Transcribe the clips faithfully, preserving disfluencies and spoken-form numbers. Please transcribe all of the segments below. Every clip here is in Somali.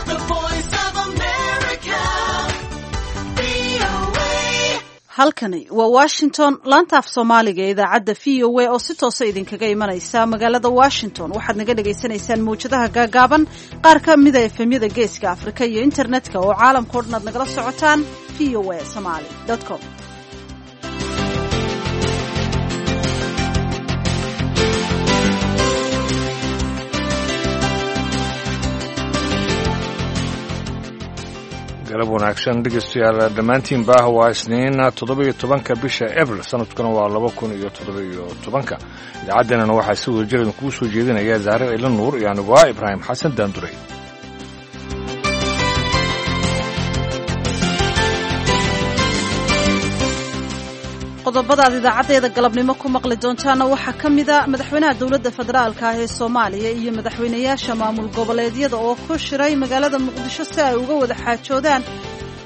The Voice of America, V O A. Halkani waa Washington, laanta af Soomaaliga ee idaacadda V O A oo si toosa idinkaga imanaysa magaalada Washington. Waxaad naga dhagaysanaysaan mawjadaha gaagaaban, qaar ka mida F M-yada Geeska Afrika iyo internetka oo caalamka o dhan aad nagala socotaan V O A Somali com. Galab wanaagsan, dhegeystayaal dhammaantiinba. Waa Isniin, toddoba iyo tobanka bisha Abril, sanadkuna waa laba kun iyo toddoba iyo tobanka. Idaacadeenana waxaa si wada jir kuu soo jeedinaya Zahre Ila Nuur iyo aniguaa Ibraahim Xasan Daanduray. Qodobadaad idaacaddeeda galabnimo ku maqli doontaana waxaa ka mida madaxweynaha dowladda federaalka ah ee Soomaaliya iyo madaxweynayaasha maamul goboleedyada oo ku shiray magaalada Muqdisho si ay uga wada xaajoodaan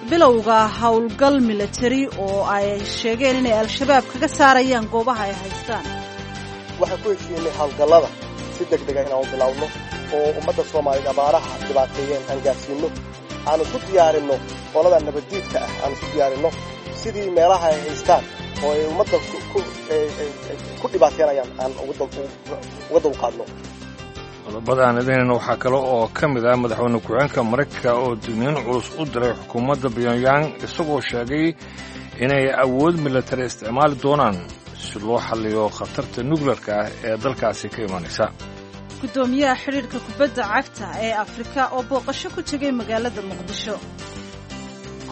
bilowga howlgal milatari oo ay sheegeen inay Al-Shabaab kaga saarayaan goobaha ay haystaan. Waxaan ku heshiinay howlgallada si deg dega inaanu bilowno oo ummadda Soomaaliyeed abaaraha dhibaateeyeen aan gaarsiinno, aanu isu diyaarinno qolada nabaddiidka ah, aanu isu diyaarinno sidii meelaha ay haystaan oo ay ummadda ku dhibaateynayaan aan uga dulqaadno. Qodobada aan idaynayna waxaa kale oo ka mid ah madaxweyne ku-xigeenka Maraykanka oo digniin culus u diray xukuumadda Pyongyang, isagoo sheegay inay awood milatari isticmaali doonaan si loo xalliyo khatarta nukleerka ah ee dalkaasi ka imanaysa. Guddoomiyaha xidhiidhka kubadda cagta ee Afrika oo booqasho ku tegay magaalada Muqdisho.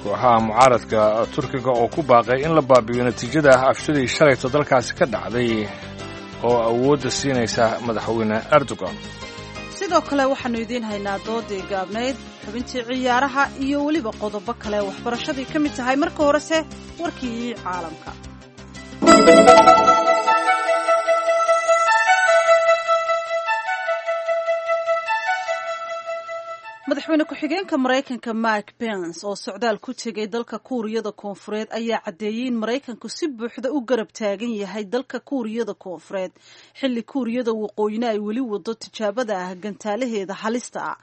Kooxaha mucaaradka Turkiga oo ku baaqay in la baabi'iyo natiijada aftidii shalayto dalkaasi ka dhacday oo awoodda siinaysa madaxweyne Erdogan. Sidoo kale waxaannu idiin haynaa doodii gaabnayd, xubintii ciyaaraha iyo weliba qodobo kale waxbarashadii ka mid tahay. Marka horese warkii caalamka. Madaxweyne ku-xigeenka Maraykanka Mike Pence oo socdaal ku tegay dalka Kuuriyada Koonfureed ayaa caddeeyey in Maraykanku si buuxda u garab taagan yahay dalka Kuuriyada Koonfureed, xilli Kuuriyada Waqooyina ay weli wado tijaabada ah gantaalaheeda halista ah.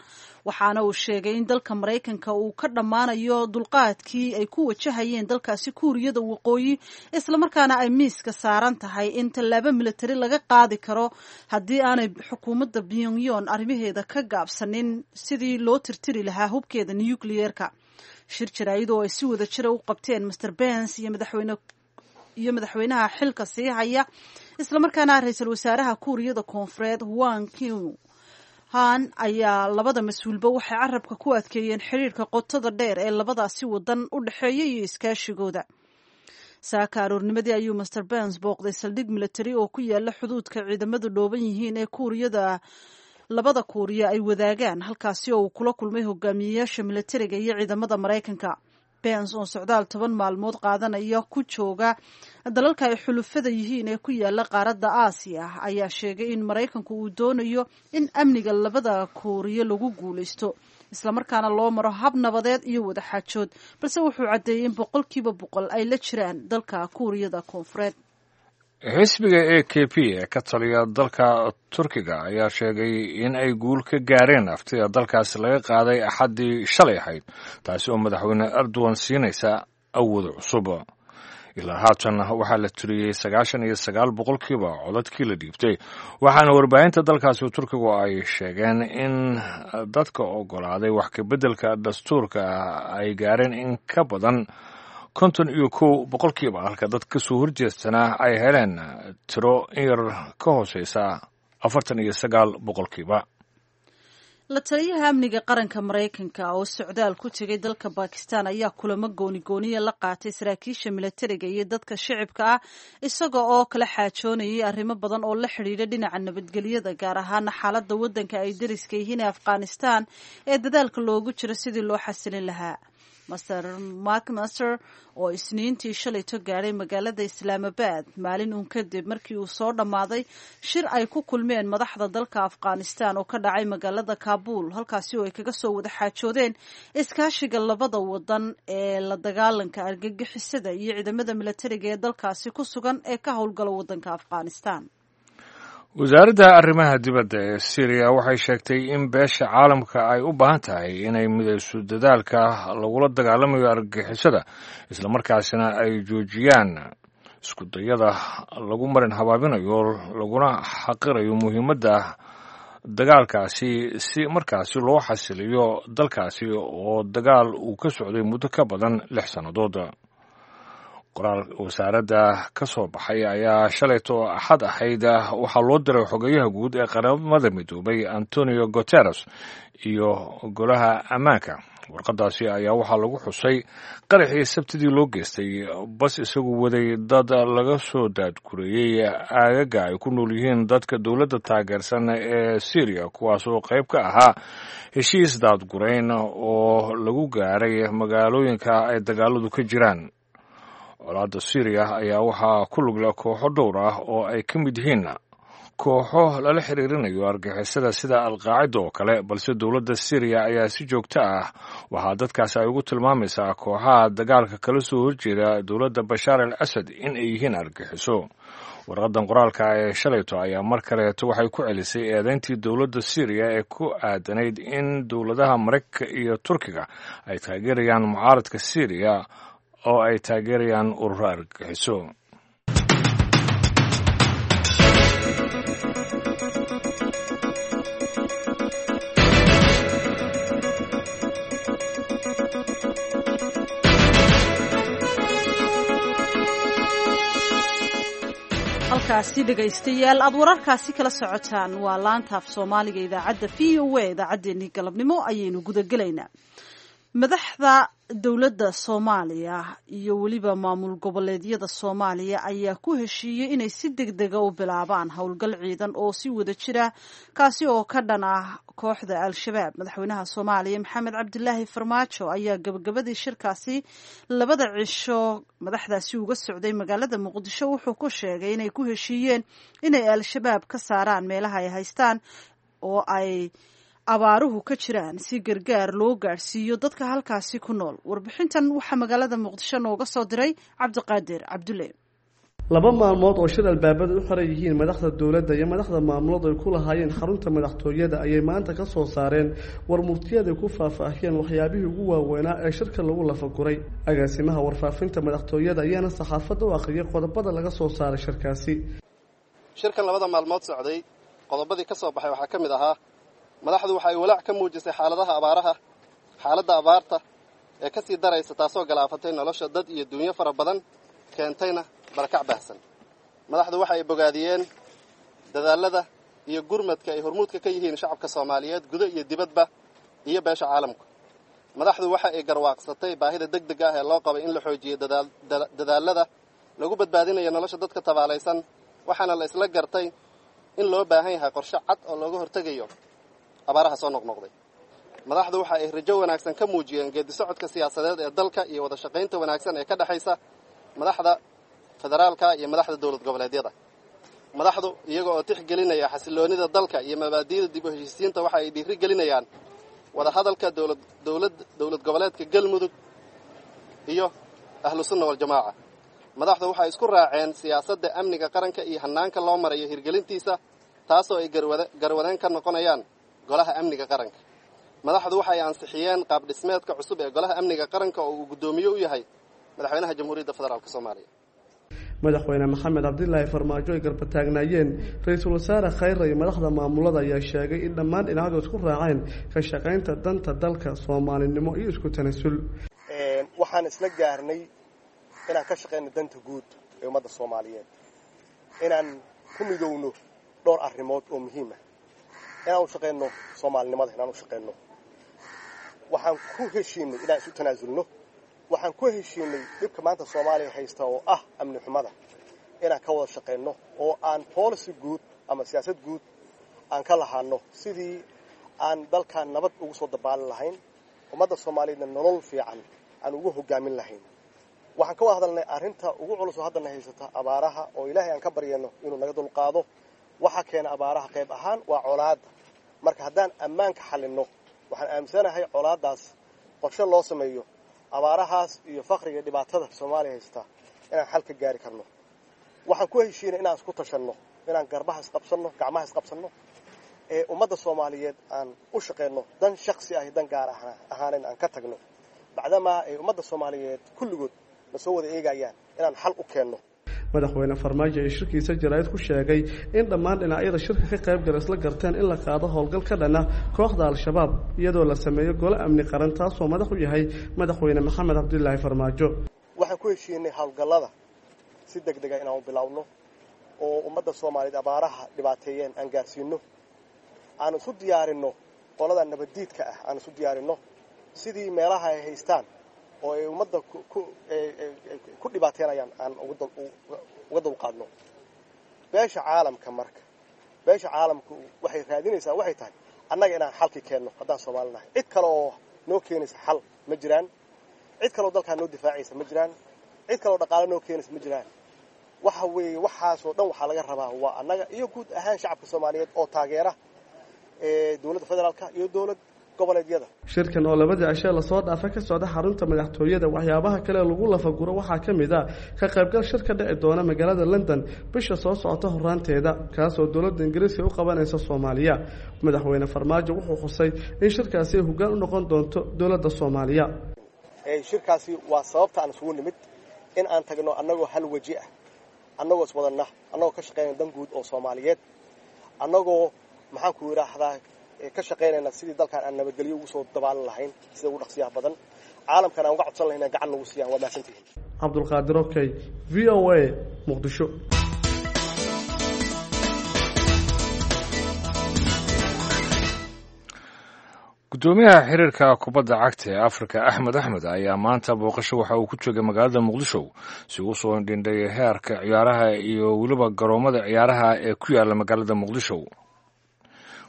Waxaana uu sheegay in dalka Maraykanka uu ka dhammaanayo dulqaadkii ay ku wajahayeen dalkaasi Kuuriyada Waqooyi, islamarkaana ay miiska saaran tahay in tallaabo militari laga qaadi karo haddii aanay xukuumadda Pyongyang arrimaheeda ka gaabsanin sidii loo tirtiri lahaa hubkeeda nucleerka. Shir jaraa'id oo ay si wada jira u qabteen Mister Pence iyo madaxweyne iyo madaxweynaha xilka sii haya islamarkaana ra-iisul wasaaraha Kuuriyada Koonfureed Hwang Keun Han ayaa labada mas-uulba waxay carabka ku adkeeyeen xiriirka qotada dheer ee labadaasi wadan u dhexeeya iyo iskaashigooda. Saaka aroornimadii ayuu Mister Pence booqday saldhig militari oo ku yaala xuduudka ciidamadu dhooban yihiin ee Kuuriyada labada Kuuriya ay wadaagaan, halkaasi oo uu kula kulmay hogaamiyeyaasha militariga iyo ciidamada Maraykanka. Pence oo socdaal toban maalmood qaadanaya ku jooga dalalka ay xulufada yihiin ee ku yaala qaaradda Aasiya ayaa sheegay in Maraykanku uu doonayo in amniga labada Kuuriya lagu guulaysto, islamarkaana loo maro hab nabadeed iyo wadaxaajood, balse wuxuu caddeeyey in boqolkiiba boqol ay la jiraan dalka Kuuriyada Koonfureed. Xisbiga A K P ee ka taliya dalka Turkiga ayaa sheegay in ay guul ka gaareen aftida dalkaasi laga qaaday Axaddii shalay ahayd, taasi oo madaxweyne Erdogan siinaysa awood cusub. Ilaa haatan waxaa la tiriyey sagaashan iyo sagaal boqolkiiba codadkii la dhiibtay, waxaana warbaahinta dalkaasi Turkigu ay sheegeen in dadka ogolaaday wax kabeddelka dastuurka ay gaareen in ka badan konton iyo kow boqolkiiba, halka dad ka soo horjeestana ay heleen tiro in yar ka hooseysa afartan iyo sagaal boqolkiiba. La taliyaha amniga qaranka Maraykanka oo socdaal ku tegay dalka Bakistan ayaa kulamo gooni-gooniya la qaatay saraakiisha milatariga iyo dadka shicibka ah, isaga oo kala xaajoonayay arrimo badan oo la xidhiidha dhinaca nabadgelyada, gaar ahaana xaaladda waddanka ay dariska yihiin ee Afghanistan ee dadaalka loogu jiro sidii loo xasilin lahaa. Mister McMaster oo Isniintii shalayto gaadhay magaalada Islaamabad, maalin uun kadib markii uu soo dhammaaday shir ay ku kulmeen madaxda dalka Afghanistan oo ka dhacay magaalada Kaabul, halkaasi oo ay kaga soo wada xaajoodeen iskaashiga labada wadan ee la dagaalanka argagixisada iyo ciidamada milatariga ee dalkaasi ku sugan ee ka howlgala wadanka Afghanistan. Wasaaradda arrimaha dibadda ee Syriya waxay sheegtay in beesha caalamka ay u baahan tahay inay midayso dadaalka lagula dagaalamayo argagixisada, islamarkaasina ay joojiyaan iskudayada lagu marin habaabinayo laguna xaqirayo muhiimadda dagaalkaasi si markaasi loo xasiliyo dalkaasi oo dagaal uu ka socday muddo ka badan lix sannadood. Qoraal wasaaradda ka soo baxay ayaa shalayto Axad ahayd waxaa loo diray xogayaha guud ee Qaramada Midoobay Antonio Guteres iyo Golaha Ammaanka. Warqadaasi ayaa waxaa lagu xusay qaraxii Sabtidii loo geystay bas isagu waday dad laga soo daadgureeyey aagaga ay ku nool yihiin dadka dowladda taageersan ee Syriya, kuwaasoo qayb ka ahaa heshiis daadgurayn oo lagu gaaray magaalooyinka ay dagaaladu ka jiraan. Colaadda Syriya ayaa waxaa ku lugla kooxo dhowr ah oo ay ka mid yihiin kooxo lala xiriirinayo argixisada sida Alqaacida oo kale, balse dowladda Syriya ayaa si joogto ah waxaa dadkaasi ay ugu tilmaamaysaa kooxaha dagaalka kala soo horjeeda dowladda Bashaar al Asad in ay yihiin argixiso. Warqadan qoraalka ee shalayto ayaa mar kaleeto waxay ku celisay eedeyntii dowladda Syriya ee ku aadanayd in dowladaha Maraykanka iyo Turkiga ay taageerayaan mucaaradka Syriya oo ay taageerayaan ururo argagixiso. Halkaasi dhegaystayaal aad wararkaasi kala socotaan waa laanta af Soomaaliga idaacadda V O A. Idaacaddeenii galabnimo ayaynu gudagelaynaa. Madaxda dowladda Soomaaliya iyo weliba maamul goboleedyada Soomaaliya ayaa ku heshiiyey inay si deg dega u bilaabaan howlgal ciidan oo si wada jira, kaasi oo ka dhan ah kooxda Al-Shabaab. Madaxweynaha Soomaaliya Maxamed Cabdilaahi Farmaajo ayaa gabagabadii shirkaasi labada cisho madaxdaasi uga socday magaalada Muqdisho wuxuu ku sheegay inay ku heshiiyeen inay Al-Shabaab ka saaraan meelaha ay haystaan oo ay abaaruhu ka jiraan, si gargaar loo gaadhsiiyo dadka halkaasi ku nool. Warbixintan waxaa magaalada Muqdisho nooga soo diray Cabdiqaadir Cabdulle. Laba maalmood oo shir albaabada u xiran yihiin madaxda dowladda iyo madaxda maamulood ay ku lahaayeen xarunta madaxtooyada ayay maanta ka soo saareen war murtiyaday ku faahfaahiyeen waxyaabihii ugu waaweynaa ee shirka lagu lafaguray. Agaasimaha warfaafinta madaxtooyada ayaana saxaafadda u akhriyay qodobada laga soo saaray shirkaasi. Shirkan labada maalmood socday qodobadii ka soo baxay waxaa ka mid ahaa: madaxdu waxa ay walaac ka muujisay xaaladaha abaaraha, xaaladda abaarta ee ka sii daraysa, taasoo galaafatay nolosha dad iyo duunyo fara badan, keentayna barakac baahsan. Madaxdu waxa ay bogaadiyeen dadaallada iyo gurmadka ay hormuudka ka yihiin shacabka Soomaaliyeed gudo iyo dibadba iyo beesha caalamka. Madaxdu waxa ay garwaaqsatay baahida deg deg ah ee loo qabay in la xoojiyo dadaallada lagu badbaadinayo nolosha dadka tabaalaysan, waxaana la isla gartay in loo baahan yahay qorshe cad oo looga hortegayo abaaraha soo noqnoqday. Madaxdu waxa ay rajo wanaagsan ka muujiyeen geedi socodka siyaasadeed ee dalka iyo wada shaqaynta wanaagsan ee ka dhexaysa madaxda federaalka iyo madaxda dowlad goboleedyada. Madaxdu iyaga oo tixgelinaya xasiloonida dalka iyo mabaadi'da dib u heshiisiinta waxa ay dhiiri gelinayaan wada hadalka dowlad dowlad dowlad goboleedka Galmudug iyo Ahlu Sunna Waljamaaca. Madaxdu waxay isku raaceen siyaasadda amniga qaranka iyo hannaanka loo marayo hirgelintiisa, taasoo ay garwadeen ka noqonayaan Golaha Amniga Qaranka. Madaxdu waxay ansixiyeen qaab dhismeedka cusub ee Golaha Amniga Qaranka oo uu guddoomiye u yahay Madaxweynaha Jamhuuriyadda Federaalk Soomaaliya. Madaxweyne Maxamed Cabdilaahi Farmaajo ay garbataagnaayeen ra-iisul wasaare Khayre iyo madaxda maamulada ayaa sheegay in dhammaan dhinacyadu isku raaceen ka shaqaynta danta dalka, soomaalinimo iyo isku tanasul. Waxaan isla gaarnay inaan ka shaqayno danta guud ee ummadda Soomaaliyeed, inaan ku midowno dhowr arrimood oo muhiim ah, inaan u shaqayno soomaalinimada, inaan u shaqayno. Waxaan ku heshiinay inaan isu tanaasulno. Waxaan ku heshiinay dhibka maanta Soomaaliya haysta oo ah amni xumada inaan ka wada shaqayno oo aan policy guud ama siyaasad guud aan ka lahaano sidii aan dalkan nabad ugu soo dabaalin lahayn, ummadda Soomaaliyeedna nolol fiican aan ugu hogaamin lahayn. Waxaan ka wada hadalnay arrinta ugu culus oo haddana haysata, abaaraha, oo Ilaahay aan ka baryano inuu naga dulqaado. Waxa keena abaaraha qayb ahaan waa colaadda. Marka haddaan ammaanka xalinno, waxaan aaminsanahay colaaddaas qorshe loo sameeyo, abaarahaas iyo faqriga dhibaatada Soomaaliya haysta inaan xal ka gaari karno. Waxaan ku heshiinay inaan isku tashanno. Inaan garbaha isqabsanno, gacmaha isqabsanno, ee ummadda Soomaaliyeed aan u shaqeyno, dan shaksi ah iyo dan gaar ahaanen aan ka tagno, bacdamaa ay ummadda Soomaaliyeed kulligood na soo wada eegayaan inaan xal u keenno. Madaxweyne Farmaajo ee shirkiisa jaraa'id ku sheegay in dhammaan dhinacyada shirka ka qayb gala isla garteen in la qaado howlgal ka dhana kooxda Al-Shabaab, iyadoo la sameeyo gole amni qaran taasoo madax u yahay Madaxweyne Maxamed Cabdilaahi Farmaajo. Waxaan ku heshiinay howlgallada si deg dega inaan u bilowno oo ummadda Soomaaliyeed abaaraha dhibaateeyeen aan gaarsiino, aan isu diyaarinno qolada nabaddiidka ah, aan isu diyaarinno sidii meelaha ay haystaan oo ay ummadda ku dhibaateynayaan aan uga dulqaadno. Beesha caalamka marka, beesha caalamku waxay raadinaysaa waxay tahay annaga inaan xalkii keenno haddaan Soomaali nahay. Cid kale oo noo keenaysa xal ma jiraan, cid kaleoo dalkaa noo difaacaysa ma jiraan, cid kaleoo dhaqaale noo keenaysa ma jiraan. Waxa weeye waxaasoo dhan waxaa laga rabaa waa annaga iyo guud ahaan shacabka Soomaaliyeed oo taageera dowladda federaalka iyo dowlad goboleedyada. Shirkan oo labadii cishee lasoo dhaafa ka socda xarunta madaxtooyada, waxyaabaha kale lagu lafaguro waxaa ka mid ah ka qaybgal shir ka dhici doona magaalada London bisha soo socota horaanteeda, kaasoo dowladda Ingiriiska u qabanaysa Soomaaliya. Madaxweyne Farmaajo wuxuu xusay in shirkaasi ay hoggaan u noqon doonto dowladda Soomaaliya. Shirkaasi waa sababta aan isugu nimid, in aan tagno annagoo hal weji ah, annagoo iswadanna, annagoo ka shaqeynayna dan guud oo Soomaaliyeed, annagoo maxaan ku yidhaahdaa ka shaqaynayna sidii dalkaan aan nabadgelyo ugu soo dabaalan lahayn sida ugu dhaqsiyaha badan, caalamkan aan uga codsan lahayn inaan gacan nagu siiyaan. Waa mahadsantihiin. Cabdulqaadir Okey, V O A, Muqdisho. Gudoomiyaha xiriirka kubadda cagta ee Afrika Axmed Axmed ayaa maanta booqasho waxa uu ku joogay magaalada Muqdisho si uu soo dhindhay heerka ciyaaraha iyo weliba garoomada ciyaaraha ee ku yaala magaalada Muqdisho.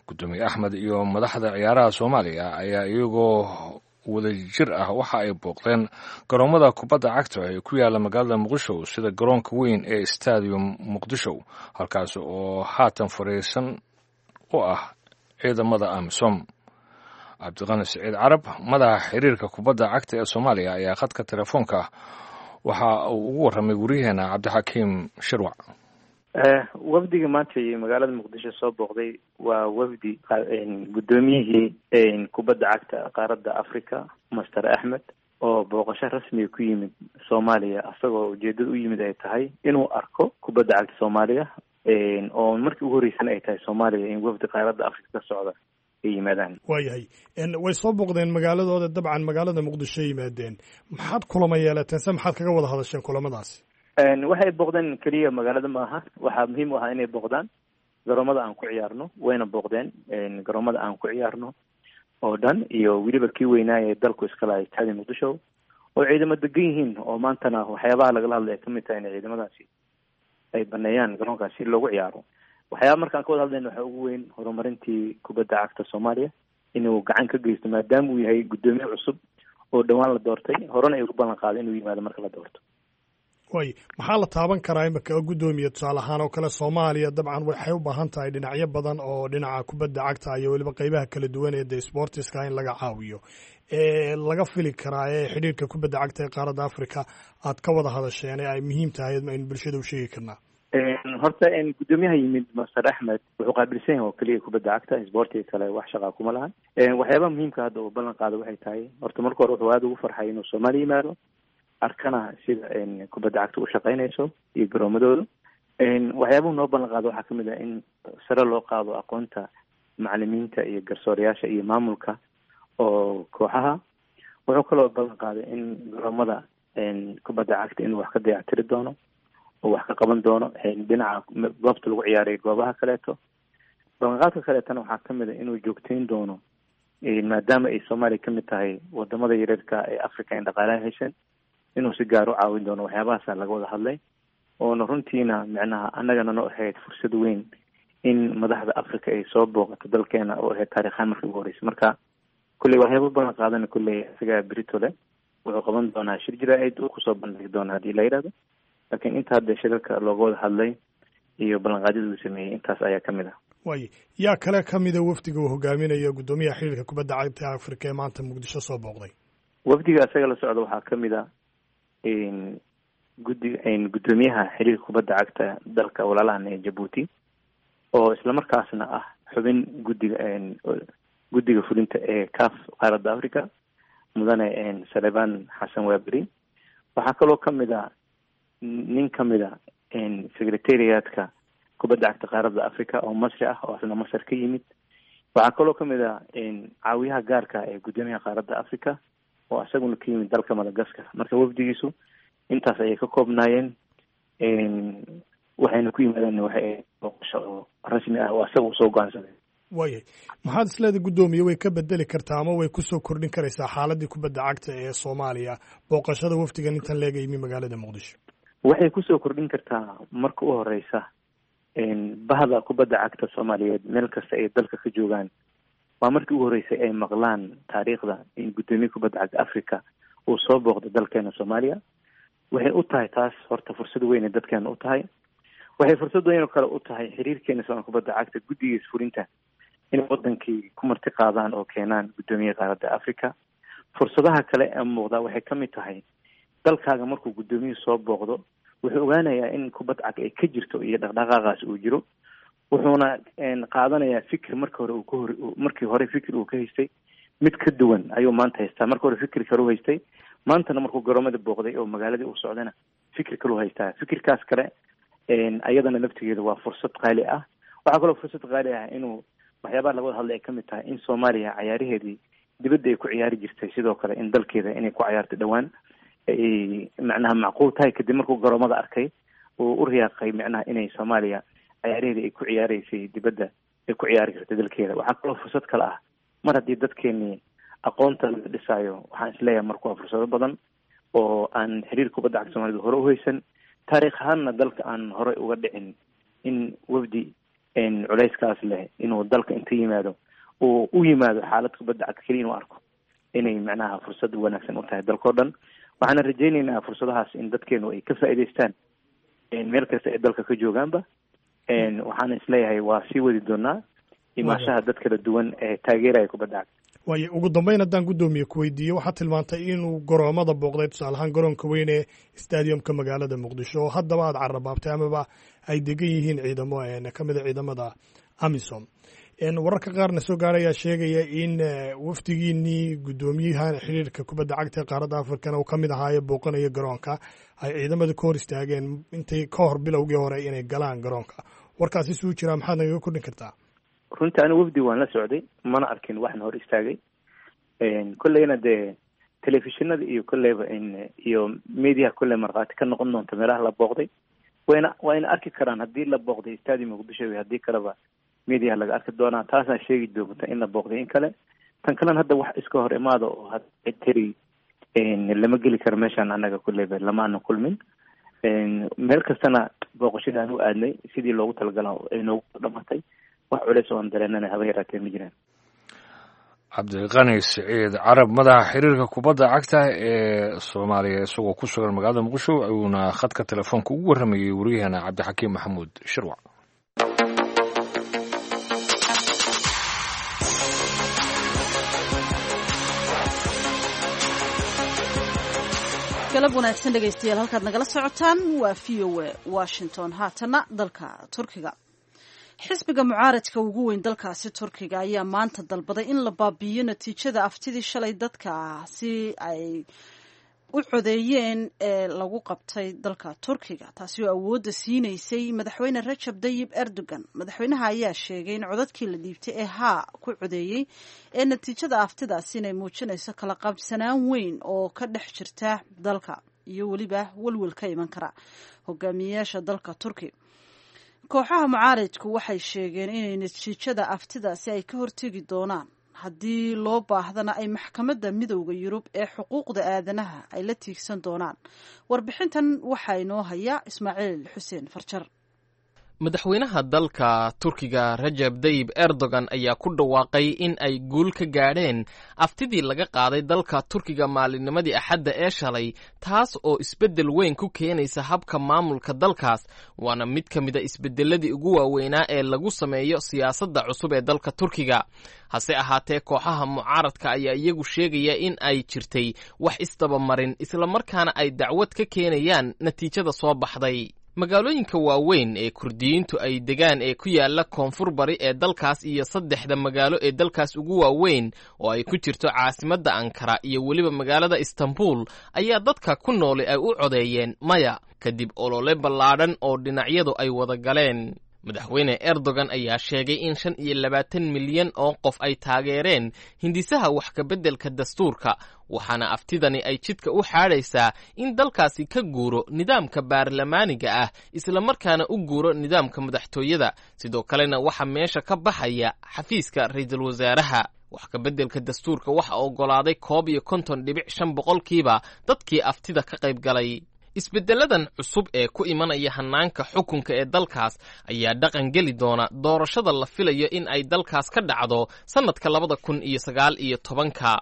Gudoomiye Axmed iyo madaxda ciyaaraha Soomaaliya ayaa iyagoo wadajir ah waxa ay booqdeen garoomada kubadda cagta ee ku yaala magaalada Muqdisho, sida garoonka weyn ee Stadium Muqdisho, halkaas oo haatan fariisan u ah ciidamada AMISOM. Cabdiqani Siciid Carab, madaxa xiriirka kubadda cagta ee Soomaaliya, ayaa khadka telefoonka waxa uu ugu warramay wariyaheena Cabdixakiim Shirwac. Wafdiga maanta iyo magaalada Muqdisho soo booqday waa wafdi guddoomiyihii kubadda cagta qaaradda Africa, Master Axmed, oo booqasho rasmiga ku yimid Soomaaliya, isagoo ujeedada u yimid ay tahay inuu arko kubadda cagta Soomaaliya, oo markii ugu horreysana ay tahay Soomaaliya in wafdi qaaradda Africa ka socda ay yimaadaan. Waayahay, way soo booqdeen magaaladooda, dabcan magaalada Muqdisho yimaadeen. Maxaad kulama yeelateen se maxaad kaga wada hadasheen kulamadaasi? Waxay booqdeen keliya magaalada maaha, waxaa muhiim u ahaa inay booqdaan garoomada aan ku ciyaarno, wayna booqdeen garoomada aan ku ciyaarno oo dhan, iyo weliba kii weynaaya dalku iska lahay Stadium Muqdisho oo ciidamo degan yihiin, oo maantana waxyaabaha lagala hadlay ay kamid tahay in ciidamadaasi ay baneeyaan garoonkaas si loogu ciyaaro. Waxyaaba markaan ka wada hadlayna waxaa ugu weyn horumarintii kubadda cagta Soomaaliya inuu gacan ka geysto, maadaama uu yahay guddoomiye cusub oo dhowaan la doortay, horena ay ugu ballan qaaday inuu yimaado marka la doorto. Way, maxaa la taaban karaa imika guddoomiye? Tusaale ahaan oo kale Soomaaliya dabcan waxay u baahan tahay dhinacyo badan oo dhinaca kubadda cagta iyo weliba qeybaha kala duwan ee de sportiska in laga caawiyo, ee laga fili karaa ee xidhiirka kubadda cagta ee qaaradda Africa aad ka wada hadasheen ee ay muhiim tahay aynu bulshada u sheegi karnaa. Horta guddoomiyaha yimid Master Axmed wuxuu qaabilsan yahay oo keliya kubadda cagta, isboortiga kale wax shaqaa kuma lahan. Waxyaabaha muhiimka hadda uu ballan qaado waxay tahay, horta marka hore wuxuu aada ugu farxay inuu Soomaaliya yimaado, arkana sida kubadda cagta u shaqeynayso iyo garoomadooda. Waxyaabuhu noo ballan qaado waxaa kamid ah in sare loo qaado aqoonta macalimiinta iyo garsoorayaasha iyo maamulka oo kooxaha. Wuxuu kaloo ballan qaaday in garoomada kubadda cagta inuu wax ka dayactiri doono oo wax ka qaban doono dhinaca goobta lagu ciyaarayo goobaha kaleeto. Ballanqaadka kaleetana waxaa kamid a inuu joogteyn doono, maadaama ay Soomaaliya kamid tahay wadamada yareerka ee Africa in dhaqaalaha heshan, inuu si gaar u caawin doono. Waxyaabahaasa laga wada hadlay, oona runtiina micnaha annagana noo ahayd fursad weyn in madaxda Africa ay soo booqato dalkeena, oo ahayd taariikhaan markii ugu horreysay. Marka kulley waxyaaba balan qaadana, kulley isagaa beritole wuxuu qaban doonaa shir jaraa'id uu kusoo bandhigi doona haddii la yidhahdo, laakiin inta hadda shirarka looga wada hadlay iyo ballanqaadyada uu sameeyey intaas ayaa kamid ah. Waay, yaa kale kamida wafdiga uu hogaaminayo guddoomiyaha xiriirka kubadda cagta Africa ee maanta Muqdisho soo booqday? Wafdiga isaga la socda waxaa kamid a guddi guddoomiyaha xiriirka kubadda cagta dalka walaalahan ee Jabuuti, oo islamarkaasna ah xubin guddiga guddiga fulinta ee C A F qaaradda Africa, mudane Saleban Xasan Waaberi. Waxaa kaloo kamid a nin kamid a secretariatka kubadda cagta qaaradda Africa oo Masri ah oo asna Masar ka yimid. Waxaa kaloo kamid a caawiyaha gaarka ee guddoomiyaha qaaradda Africa oo isaguna ka yimid dalka Madagaskar. Marka wafdigiisu intaas ayay ka koobnaayeen, waxayna ku yimaadeen waxay booqasho oo rasmi ah oo isaga usoo go-aansaday. Waayahay, maxaad isleedahay guddoomiye way ka bedeli kartaa ama way kusoo kordhin karaysaa xaaladii kubadda cagta ee Soomaaliya booqashada wafdigan intan leega yimi magaalada Muqdisho? Waxay kusoo kordhin kartaa marka u horeysa bahda kubadda cagta Soomaaliyeed meel kasta ay dalka ka joogaan, waa markii ugu horeysay ay maqlaan taariikhda in guddoomiye kubadda cagta Africa uu soo booqdo dalkeena Soomaaliya. Waxay u tahay taas horta fursad weyn ay dadkeena u tahay. Waxay fursad weyn oo kale u tahay xiriirkeena Soomaaliya kubadda cagta guddigiisa fulinta inay wadankii ku marti qaadaan oo keenaan guddoomiye qaaradda Africa. Fursadaha kale ee muuqda waxay ka mid tahay dalkaaga markuu guddoomiyuhu soo booqdo wuxuu ogaanayaa in kubad cag ay ka jirto iyo dhaqdhaqaaqaas uu jiro, wuxuuna qaadanayaa fikir marka hore uu ka hor markii hore fikir uu ka haystay mid ka duwan ayuu maanta haystaa. Marka hore fikir kale u haystay, maantana markuu garoomada booqday oo magaaladii uu socdana fikir kale u haystaa. Fikirkaas kale ayadana laftigeeda waa fursad qaali ah. Waxaa kaloo fursad qaali ah inuu waxyaabaha laga wada hadlay ay kamid tahay in Soomaaliya cayaaraheedii dibadda ay ku ciyaari jirtay, sidoo kale in dalkeeda inay ku cayaarto dhowaan ay macnaha macquul tahay. Kadib markuu garoomada arkay uu u riyaaqay macnaha inay Soomaaliya cayaaraheedii ay ku ciyaareysay dibadda ay ku ciyaari kartay dalkeeda. Waxaa kaloo fursad kale ah mar haddii dadkeenii aqoonta laga dhisaayo, waxaan isleeyahay marka waa fursado badan oo aan xiriir kubadda cagta Soomaalida hore u haysan, taariikh ahaanna dalka aan hore uga dhicin in wafdi culeyskaas leh inuu dalka inta yimaado uu u yimaado xaalad kubadda cagta keliya inuu arko inay macnaha fursad wanaagsan u tahay dalkao dhan. Waxaana rajaynaynaa fursadahaas in dadkeenu ay ka faa'iidaystaan meel kasta ay dalka ka joogaanba. Waxaana isleeyahay waa sii wadi doonaa imaashaha dad kala duwan ee taageeraya kubadda cagta. Waayo, ugu dambeyn haddaan guddoomiye ku weydiiyo, waxaad tilmaantay inuu garoomada booqday, tusaale ahaan garoonka weyn ee stadiumka magaalada Muqdisho oo haddaba aad carrabaabtay amaba ay degan yihiin ciidamo ka mid a ciidamada AMISOM. Wararka qaarna soo gaara ayaa sheegaya in wafdigiinii guddoomiyahan xiriirka kubadda cagta ee qaaradda Afrikana uu ka mid ahaaye booqanaya garoonka ay ciidamada ka hor istaageen intay ka hor bilowgii hore inay galaan garoonka. Warkaasi suu jiraa, maxaad nagaga kordhin kartaa? Runtii anigu wafdi waan la socday, mana arkin waxna hor istaagay. Kolleyna dee telefishinada iyo kolleyba iyo mediaha kolley markhaati ka noqon doonta meelaha la booqday, wayna wayna arki karaan haddii la booqday stadium Muqdisho iyo haddii kaleba mediaha laga arki doonaa. Taasaa sheegi doonta in la booqday in kale. Tan kalena hadda wax iska hor imaada oo hadteri lama geli karo meeshaan, annaga kolleyba lama aana kulmin. Meel kastana booqashada aan u aadnay sidii loogu talagala ay noogu dhamatay, wax culeys oo aan dareenana haba yaraatee ma jiraan. Cabdiqani Siciid Carab, madaxa xiriirka kubadda cagta ee Soomaaliya, isagoo ku sugan magaalada Muqdisho ayuuna khadka telefoonka ugu warramayey waryaheena Cabdixakiim Maxamuud Shirwac. Galab wanaagsan dhegaystayaal, halkaad nagala socotaan waa V O A Washington. Haatana dalka Turkiga, xisbiga mucaaradka ugu weyn dalkaasi Turkiga ayaa maanta dalbaday in la baabi'iyo natiijada aftidii shalay dadka si ay u codeeyeen ee lagu qabtay dalka Turkiga, taasi oo awoodda siinaysay madaxweyne Rajab Tayyip Erdogan. Madaxweynaha ayaa sheegay in codadkii la dhiibtay ee haa ku codeeyey ee natiijada aftidaasi inay muujinayso kala qabsanaan weyn oo ka dhex jirta dalka iyo weliba welwel ka iman kara hogaamiyeyaasha dalka Turki. Kooxaha mucaaridku waxay sheegeen inay natiijada aftidaasi ay ka hortegi doonaan, haddii loo baahdana ay maxkamadda midowda Yurub ee xuquuqda aadanaha ay la tiigsan doonaan. Warbixintan waxaa inoo haya Ismaaciil Xuseen Farjar. Madaxweynaha dalka Turkiga Rajab Tayyip Erdogan ayaa ku dhawaaqay in ay guul ka gaadheen aftidii laga qaaday dalka Turkiga maalinnimadii Axadda ee shalay, taas oo isbeddel weyn ku keenaysa habka maamulka dalkaas, waana mid ka mid a isbeddeladii ugu waaweynaa ee lagu sameeyo siyaasadda cusub ee dalka Turkiga. Hase ahaatee, kooxaha mucaaradka ayaa iyagu sheegaya in ay jirtay wax isdabamarin, islamarkaana ay dacwad ka keenayaan natiijada soo baxday. Magaalooyinka waaweyn ee Kurdiyiintu ay degaan ee ku yaala koonfur bari ee dalkaas iyo saddexda magaalo ee dalkaas ugu waaweyn oo ay ku jirto caasimadda Ankara iyo weliba magaalada Istanbul ayaa dadka ku nooli ay u codeeyeen maya, kadib olole ballaadhan oo dhinacyadu ay wada galeen. Madaxweyne Erdogan ayaa sheegay in shan iyo labaatan milyan oo qof ay taageereen hindisaha wax ka beddelka dastuurka, waxaana aftidani ay jidka u xaadhaysaa in dalkaasi ka guuro nidaamka baarlamaaniga ah islamarkaana u guuro nidaamka madaxtooyada. Sidoo kalena waxaa meesha ka baxaya xafiiska ra'iisul wasaaraha. Wax ka beddelka dastuurka waxa oggolaaday koob iyo konton dhibic shan boqolkiiba dadkii aftida ka qayb galay. Isbeddeladan cusub ee ku imanaya hanaanka xukunka ee dalkaas ayaa dhaqan geli doona doorashada la filayo in ay dalkaas ka dhacdo sannadka labada kun iyo sagaal iyo tobanka,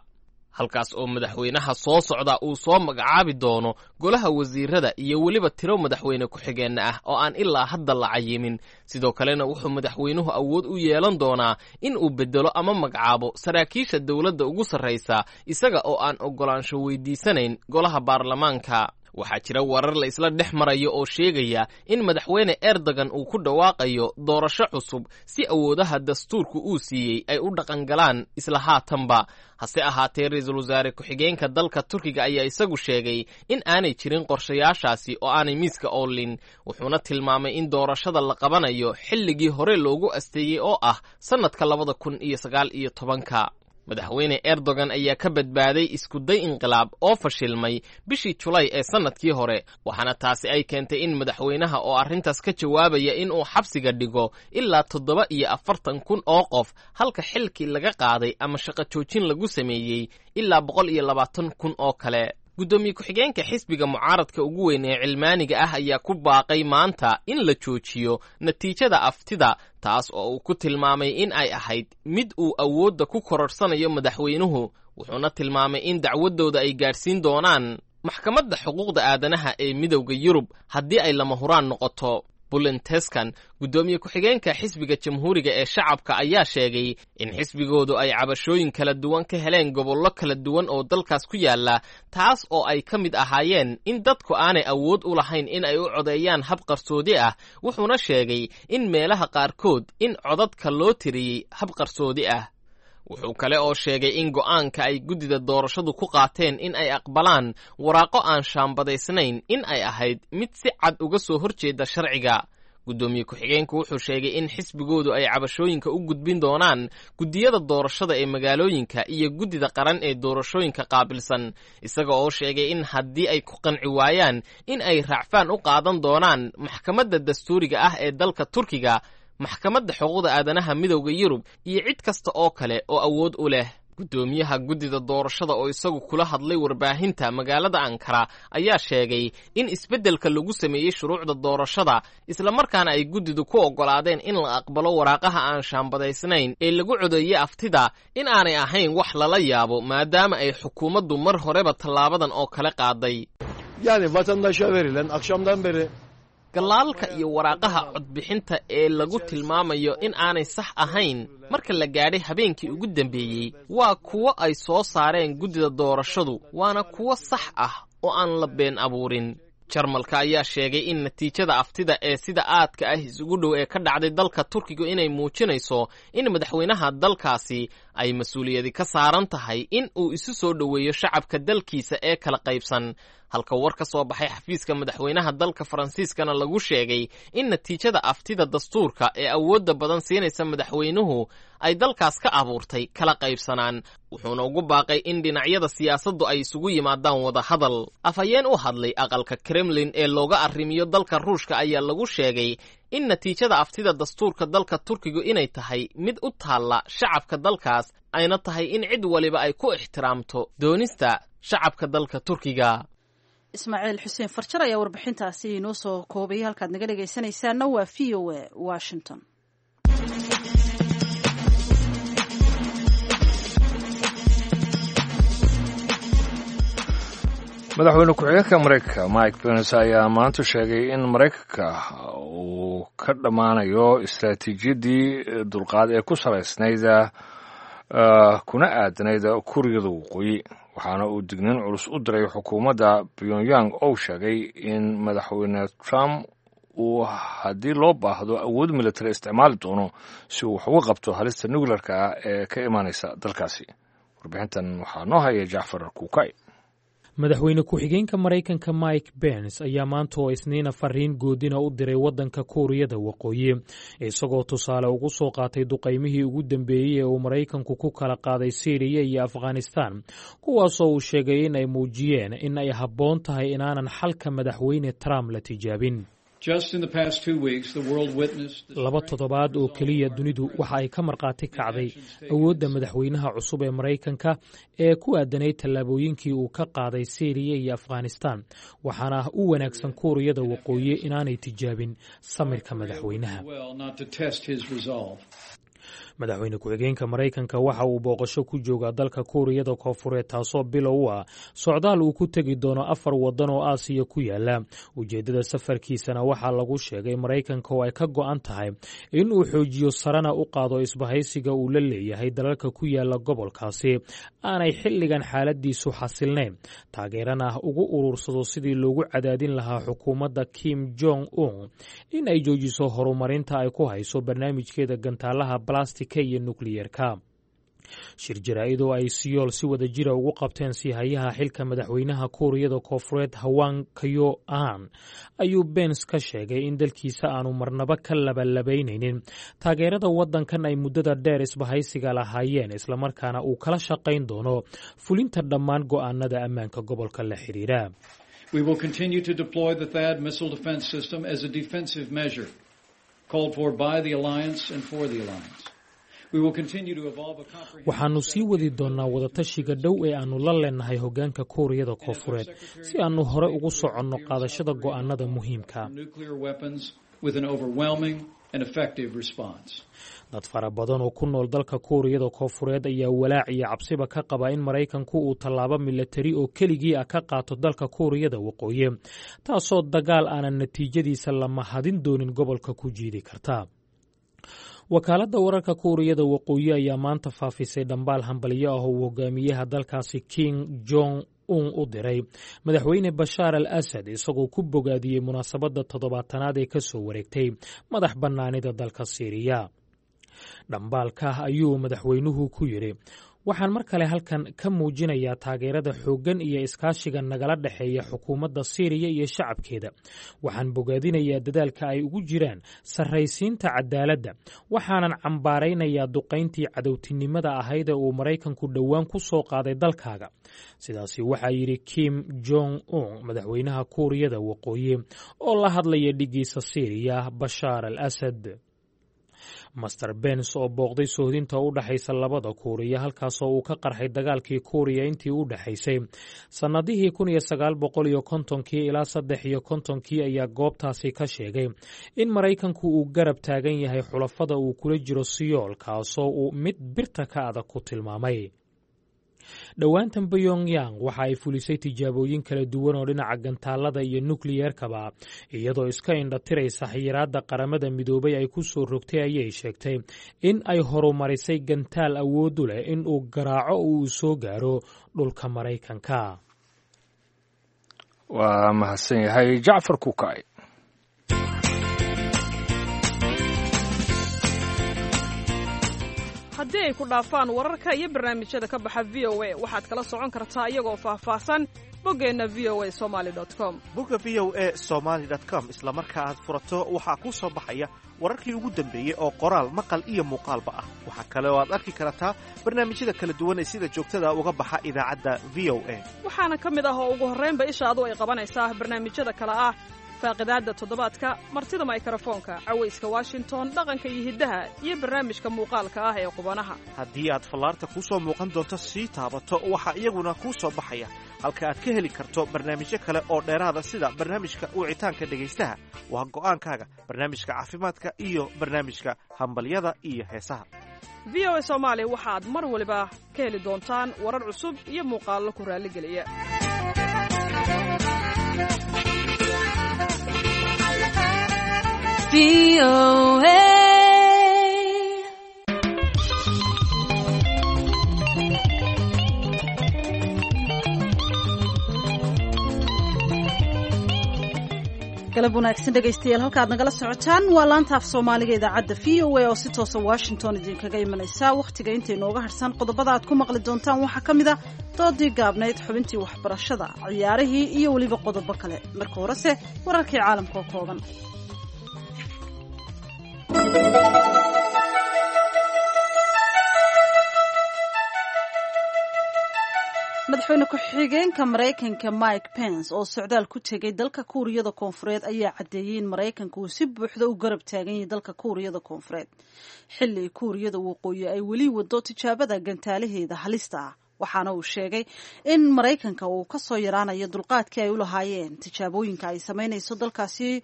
halkaas oo madaxweynaha soo socda uu soo magacaabi doono golaha wasiirada iyo weliba tiro madaxweyne ku-xigeenna ah oo aan ilaa hadda la cayimin. Sidoo kalena wuxuu madaxweynuhu awood u yeelan doonaa in uu beddelo ama magacaabo saraakiisha dowladda ugu sarraysa isaga oo aan oggolaansho weydiisanayn golaha baarlamaanka. Waxaa jira warar la isla dhex marayo oo sheegaya in madaxweyne Erdogan uu ku dhawaaqayo doorasho cusub si awoodaha dastuurku uu siiyey ay u dhaqangalaan isla haatanba. Hase ahaatee, ra'iisul wasaare ku-xigeenka dalka Turkiga ayaa isagu sheegay in aanay jirin qorshayaashaasi oo aanay miiska oolin, wuxuuna tilmaamay in doorashada la qabanayo xilligii hore loogu asteeyey oo ah sannadka labada kun iyo sagaal iyo tobanka. Madaxweyne Erdogan ayaa ka badbaaday iskuday inqilaab oo fashilmay bishii Julay ee sannadkii hore, waxaana taasi ay keentay in madaxweynaha oo arrintaas ka jawaabaya in uu xabsiga dhigo ilaa toddoba iyo afartan kun oo qof, halka xilkii laga qaaday ama shaqo joojin lagu sameeyey ilaa boqol iyo labaatan kun oo kale. Guddoomiye ku-xigeenka xisbiga mucaaradka ugu weyn ee cilmaaniga ah ayaa ku baaqay maanta in la joojiyo natiijada aftida, taas oo uu ku tilmaamay in ay ahayd mid uu awoodda ku kororsanayo madaxweynuhu, wuxuuna tilmaamay in dacwadooda ay gaadhsiin doonaan maxkamadda xuquuqda aadanaha ee Midowda Yurub haddii ay lama huraan noqoto. Bulenteskan, guddoomiye ku-xigeenka xisbiga Jamhuuriga ee Shacabka, ayaa sheegay in xisbigoodu ay cabashooyin kala duwan ka heleen gobollo kala duwan oo dalkaas ku yaala, taas oo ay ka mid ahaayeen in dadku aanay awood u lahayn in ay u codeeyaan hab qarsoodi ah, wuxuuna sheegay in meelaha qaarkood in codadka loo tiriyey hab qarsoodi ah. Wuxuu kale oo sheegay in go'aanka ay guddida doorashadu ku qaateen in ay aqbalaan waraaqo aan shaambadaysnayn in ay ahayd mid si cad uga soo horjeeda sharciga. Guddoomiye ku-xigeenku wuxuu sheegay in xisbigoodu ay cabashooyinka u gudbin doonaan guddiyada doorashada ee magaalooyinka iyo guddida qaran ee doorashooyinka qaabilsan, isaga oo sheegay in haddii ay ku qanci waayaan in ay raacfaan u qaadan doonaan maxkamadda dastuuriga ah ee dalka Turkiga, maxkamadda xuquuqda aadanaha Midowda Yurub iyo cid kasta oo kale oo awood u leh. Guddoomiyaha guddida doorashada oo isagu kula hadlay warbaahinta magaalada Ankara ayaa sheegay in isbeddelka lagu sameeyey shuruucda doorashada islamarkaana ay guddidu ku oggolaadeen in la aqbalo waraaqaha aan shaambadaysnayn ee lagu codeeyey aftida in aanay ahayn wax lala yaabo, maadaama ay xukuumaddu mar horeba tallaabadan oo kale qaaday. Yani vatandaşa verilen akşamdan beri Galaalka iyo waraaqaha codbixinta ee lagu tilmaamayo in aanay sax ahayn marka la gaadhay habeenkii ugu dambeeyey waa kuwo ay soo saareen guddida doorashadu, waana kuwo sax ah oo aan la been abuurin. Jarmalka ayaa sheegay in natiijada aftida ee sida aadka ah isugu dhow ee ka dhacday dalka Turkiga inay muujinayso in madaxweynaha dalkaasi ay mas-uuliyadi ka saaran tahay in uu isu soo dhoweeyo shacabka dalkiisa ee kala qaybsan, halka war ka soo baxay xafiiska madaxweynaha dalka Faransiiskana lagu sheegay in natiijada aftida dastuurka ee awoodda badan siinaysa madaxweynuhu ay dalkaas ka abuurtay kala qaybsanaan, wuxuuna ugu baaqay in dhinacyada siyaasaddu ay isugu yimaadaan wadahadal. Afhayeen u hadlay aqalka Kremlin ee looga arrimiyo dalka Ruushka ayaa lagu sheegay in natiijada aftida dastuurka dalka Turkigu inay tahay mid u taalla shacabka dalkaas, ayna tahay in cid waliba ay ku ixtiraamto doonista shacabka dalka Turkiga. Ismaaciil Xuseen Farjar ayaa warbixintaasi inoo soo koobayay. Halkaad naga dhegaysanaysaana waa V O A Washington. Madaxweyne ku-xigeenka Mareykanka Mike Pence ayaa maanta sheegay in Mareykanka uu ka dhammaanayo istaraatiijiyaddii dulqaad ee ku salaysnayd kuna aadanayd Kuuriyada Waqooyi, waxaana uu digniin culus u diray xukuumadda Pyongyang oo sheegay in madaxweyne Trump uu haddii loo baahdo awood military isticmaali doono si uu wax uga qabto halista nuclearka ah ee ka imaanaysa dalkaasi. Warbixintan waxaa noo haya Jacfar Kuukay. Madaxweyne ku-xigeenka Maraykanka Mike Pence ayaa maanta oo Isniina fariin goodina u diray waddanka Kuuriyada Waqooyi, isagoo tusaale ugu soo qaatay duqaymihii ugu dambeeyey ee uu Maraykanku ku kala qaaday Siiriya iyo Afghanistan, kuwaasoo uu sheegay in ay muujiyeen in ay habboon tahay inaanan xalka Madaxweyne Trump la tijaabin. Laba toddobaad oo keliya, dunidu waxa ay ka markhaati kacday awoodda madaxweynaha cusub ee Maraykanka ee ku aadanayd tallaabooyinkii uu ka qaaday Siiriya iyo Afghanistan, waxaana u wanaagsan Kuuriyada Waqooyi inaanay tijaabin samirka madaxweynaha. Madaxweyne ku-xigeenka Maraykanka waxa uu booqasho ku joogaa dalka Kuuriyada Koonfureed, taasoo bilow u ah socdaal uu ku tegi doono afar waddan oo Aasiya ku yaala. Ujeeddada safarkiisana waxaa lagu sheegay Maraykanka oo ay ka go'an tahay in uu xoojiyo sarena u qaado isbahaysiga uu la leeyahay dalalka ku yaala gobolkaasi aanay xilligan xaaladiisu xasilnayn, taageerana ugu urursado sidii loogu cadaadin lahaa xukuumadda Kim Jong Un in ay joojiso horumarinta ay ku hayso barnaamijkeeda gantaalaha balastika iyo nukliyerka. Shir jaraa'id oo ay Siyool si wada jira ugu qabteen siihayaha xilka madaxweynaha Kuuriyada Koonfureed Hwang Kyo Ahn ayuu Pence ka sheegay in dalkiisa aanu marnaba ka labalabaynaynin taageerada waddankan ay muddada dheer isbahaysiga lahaayeen, islamarkaana uu kala shaqayn doono fulinta dhammaan go'aanada ammaanka gobolka la xiriira. We will continue to deploy the THAAD missile defense system as a defensive measure called for by the alliance and for the alliance. We will continue to evolve a comprehensive Waxaannu sii wadi doonnaa wadatashiga dhow ee aannu la leenahay hoggaanka Kuuriyada Koonfureed si aannu hore ugu soconno qaadashada go'aanada muhiimka. nuclear weapons with an overwhelming and effective response. Dad fara badan oo ku nool dalka Kuuriyada Koonfureed ayaa walaac iyo cabsiba ka qaba in Maraykanku uu tallaabo milatari oo keligii ah ka qaato dalka Kuuriyada Waqooyi, taasoo dagaal aanan natiijadiisa la mahadin doonin gobolka ku jiidi karta. Wakaaladda wararka Kuuriyada Waqooyi ayaa maanta faafisay dhambaal hambalyo ah oo uu hogaamiyaha dalkaasi Kim Jong Un u diray Madaxweyne Bashaar al Asad, isagoo ku bogaadiyey munaasabadda toddobaatanaad ee ka soo wareegtay madax bannaanida dalka Siiriya. Dhambaalka ayuu madaxweynuhu ku yidhi: "Waxaan mar kale halkan ka muujinayaa taageerada xooggan iyo iskaashiga nagala dhexeeya xukuumadda Siiriya iyo shacabkeeda. Waxaan bogaadinayaa dadaalka ay ugu jiraan sarraysiinta cadaaladda, waxaanan cambaaraynayaa duqayntii cadowtinimada ahayd ee uu Maraykanku dhowaan ku soo qaaday dalkaaga." Sidaasi waxaa yidhi Kim Jong Un, madaxweynaha Kuuriyada Waqooyi, oo la hadlaya dhiggiisa Siiriya Bashaar al Asad. Master Pence oo booqday sohdinta u dhexaysa labada Kuuriya, halkaasoo uu ka qarxay dagaalkii Kuuriya intii u dhexaysay sannadihii kun iyo sagaal boqol iyo kontonkii ilaa saddex iyo kontonkii, ayaa goobtaasi ka sheegay in Maraykanku uu garab taagan yahay xulafada uu kula jiro Siyool, kaasoo uu mid birta ka adag ku tilmaamay. Dhowaantan Pyongyang waxa ay fulisay tijaabooyin kala duwan oo dhinaca gantaalada iyo nukliyeerkaba, iyadoo iska indhatiraysa xayiraadda Qaramada Midoobay ay ku soo rogtay. Ayay sheegtay in ay horumarisay gantaal awoodu leh in uu garaaco oo uu soo gaaro dhulka Maraykanka. Waa mahadsan yahay Jacfar Kuukay. Haddii ay ku dhaafaan wararka iyo barnaamijyada ka baxa V O A, waxaad kala socon kartaa iyagoo faahfaahsan boggeenna V O A Somali com. Bogga V O A Somaly com isla marka aad furato, waxaa kuu soo baxaya wararkii ugu dambeeyey oo qoraal, maqal iyo muuqaalba ah. Waxaa kale oo aad arki kartaa barnaamijyada kala duwan ee sida joogtada uga baxa idaacadda V O A. Waxaana ka mid ah oo ugu horraynba ishaadu ay qabanaysaa barnaamijyada kale ah: faaqidaadda toddobaadka, martida maykarafoonka, cawayska Washington, dhaqanka iyo hiddaha, iyo barnaamijka muuqaalka ah ee qubanaha. Haddii aad fallaarta kuu soo muuqan doonto sii taabato, waxaa iyaguna kuu soo baxaya halka aad ka heli karto barnaamijyo kale oo dheeraada, sida barnaamijka wicitaanka dhegaystaha, waa go'aankaaga, barnaamijka caafimaadka iyo barnaamijka hambalyada iyo heesaha. V O A Soomaali waxaad mar waliba ka heli doontaan warar cusub iyo muuqaallo ku raalligeliya. Galab wanaagsan dhegaystayaal, halkaad nagala socotaan waa laanta af Soomaaliga idaacadda V O A oo si toosa Washington idinkaga imanaysa. Wakhtiga intay nooga harsan qodobada aad ku maqli doontaan waxaa ka mid a doodii gaabnayd, xubintii waxbarashada, ciyaarihii iyo weliba qodobo kale. Marka horese wararkii caalamka oo kooban. Madaxweyne ku-xigeenka Maraykanka Mike Pence oo socdaal ku tegay dalka Kuuriyada Koonfureed ayaa caddeeyey in Maraykanka uu si buuxda u garab taagan yahay dalka Kuuriyada Koonfureed, xilli Kuuriyada Waqooyi ay weli wado tijaabada gantaalaheeda halista ah. Waxaana uu sheegay in Maraykanka uu kasoo yaraanayo dulqaadkii ay u lahaayeen tijaabooyinka ay samaynayso dalkaasi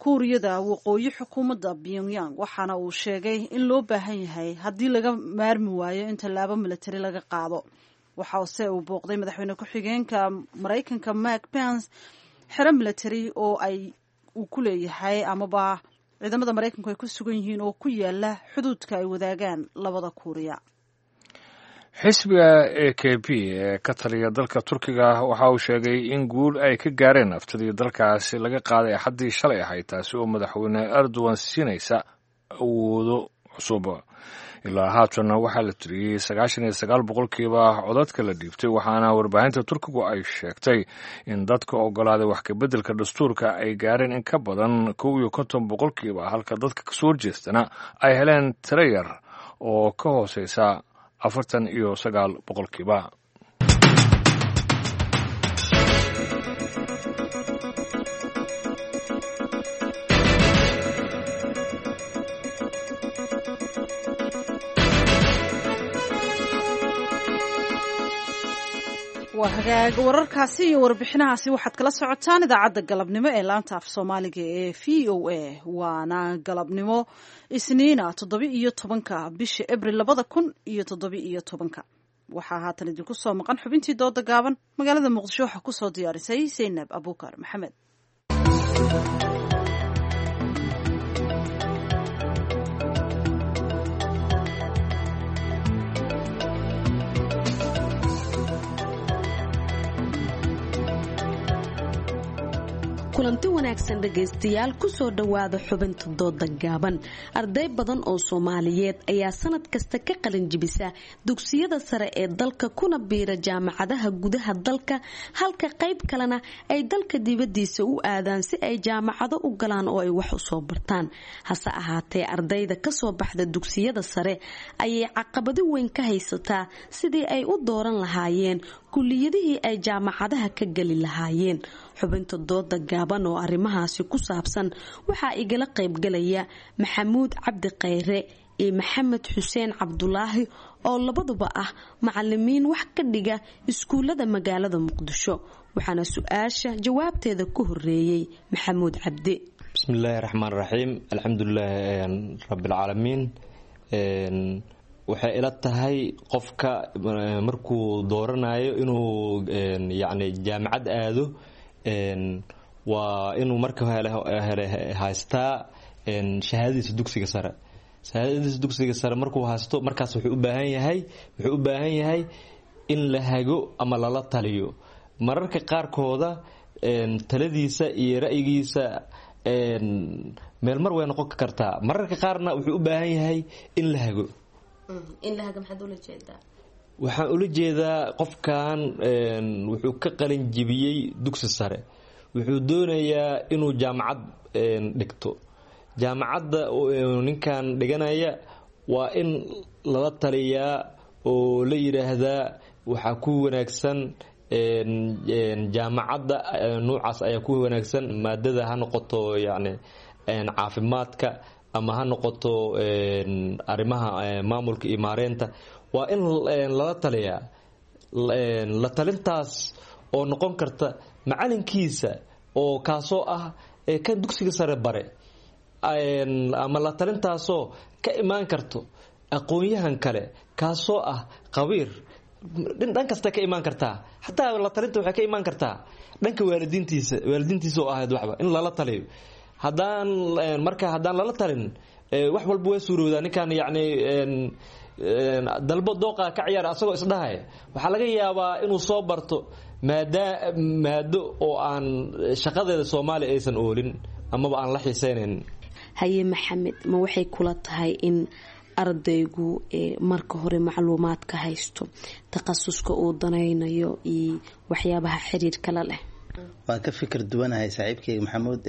Kuuriyada Waqooyi, xukuumadda Pyongyang. Waxaana uu sheegay in loo baahan yahay haddii laga maarmi waayo in tallaabo milatari laga qaado. Waxaase uu booqday madaxweyne ku-xigeenka Maraykanka Mike Pence xero milatary oo ay uu ku leeyahay amaba ciidamada Maraykanku ay ku sugan yihiin oo ku yaala xuduudka ay wadaagaan labada Kuuriya. Xisbiga A K P ee ka taliya dalka Turkiga waxa uu sheegay in guul ay ka gaareen aftidii dalkaasi laga qaaday Axaddii shalay ahayd, taasi oo madaxweyne Erdogan siinaysa awoodo cusub. Ilaa haatanna waxaa la tiriyey sagaashan iyo sagaal boqolkiiba codadka la dhiibtay, waxaana warbaahinta Turkigu ay sheegtay in dadka ogolaaday wax kabeddelka dastuurka ay gaareen in ka badan kow iyo konton boqolkiiba, halka dadka kasoo horjeestana ay heleen tiro yar oo ka hooseysa afartan iyo sagaal boqolkiiba. Waa hagaag, wararkaasi iyo warbixinahaasi waxaad kala socotaan idaacadda galabnimo ee laanta af Soomaaliga ee V O A. Waana galabnimo Isniina, toddoba iyo tobanka bisha Abril labada kun iyo toddoba iyo tobanka. Waxaa haatan idinku soo maqan xubintii dooda gaaban. Magaalada Muqdisho waxaa kusoo diyaarisay Saynab Abuukar Maxamed. Kulanti wanaagsan dhegaystayaal, kusoo dhowaada xubinta dooda gaaban. Arday badan oo Soomaaliyeed ayaa sanad kasta ka qalin jibisa dugsiyada sare ee dalka kuna biira jaamacadaha gudaha dalka, halka qayb kalena ay dalka dibadiisa u aadaan si ay jaamacado u galaan oo ay wax usoo bartaan. Hase ahaatee, ardayda kasoo baxda dugsiyada sare ayay caqabado weyn ka haysataa sidii ay u dooran lahaayeen kuliyadihii ay jaamacadaha ka geli lahaayeen. Xubinta dooda gaaban oo arrimahaasi ku saabsan waxaa igala qaybgalaya Maxamuud Cabdi Khayre iyo Maxamed Xuseen Cabdulaahi oo labaduba ah macalimiin wax ka dhiga iskuulada magaalada Muqdisho. Waxaana su-aasha jawaabteeda ku horeeyey Maxamuud Cabdi. Bismillaahi raxmaan raxiim, alxamdulilaahi rabbilcaalamiin. Waxay ila tahay qofka markuu dooranayo inuu yacni jaamacad aado waa inuu marka hele haystaa shahaadadiisa dugsiga sare. Shahaadadiisa dugsiga sare markuu haysto, markaas wuxuu u baahan yahay wuxuu u baahan yahay in la hago ama lala taliyo. Mararka qaarkooda taladiisa iyo ra'yigiisa meel mar way noqon kartaa, mararka qaarna wuxuu u baahan yahay in la hago. Waxaan ula jeedaa qofkan wuxuu ka qalin jibiyey dugsi sare, wuxuu doonayaa inuu jaamacad dhigto. Jaamacadda ninkan dhiganaya waa in lala taliyaa oo la yidhaahdaa waxaa ku wanaagsan jaamacadda nuucaas ayaa ku wanaagsan, maadada ha noqoto yacni caafimaadka ama ha noqoto arrimaha maamulka iyo maareynta. Waa in lala taliyaa. La talintaas oo noqon karta macalinkiisa oo kaasoo ah kan dugsiga sare bare, ama la talintaasoo ka imaan karto aqoon-yahan kale kaasoo ah qabiir. Dhan kasta ka imaan kartaa, xataa la talinta waxay ka imaan kartaa dhanka waalidiintiisa waalidiintiisa oo ahayd waxba in lala taliyo. Haddaan marka haddaan lala talin, wax walba way suurowdaa. Ninkan yacni dalbo dooqa ka ciyaara asagoo isdhahaya, waxaa laga yaabaa inuu soo barto Maadaa maado oo aan shaqadeeda Soomaaliya aysan oolin amaba aan la xiiseynayn. Haye Maxamed, ma waxay kula tahay in ardaygu marka hore macluumaadka haysto takhasuska uu danaynayo iyo waxyaabaha xiriirka la leh? Waan ka fikir duwanahay saaxiibkeyga Maxamuud,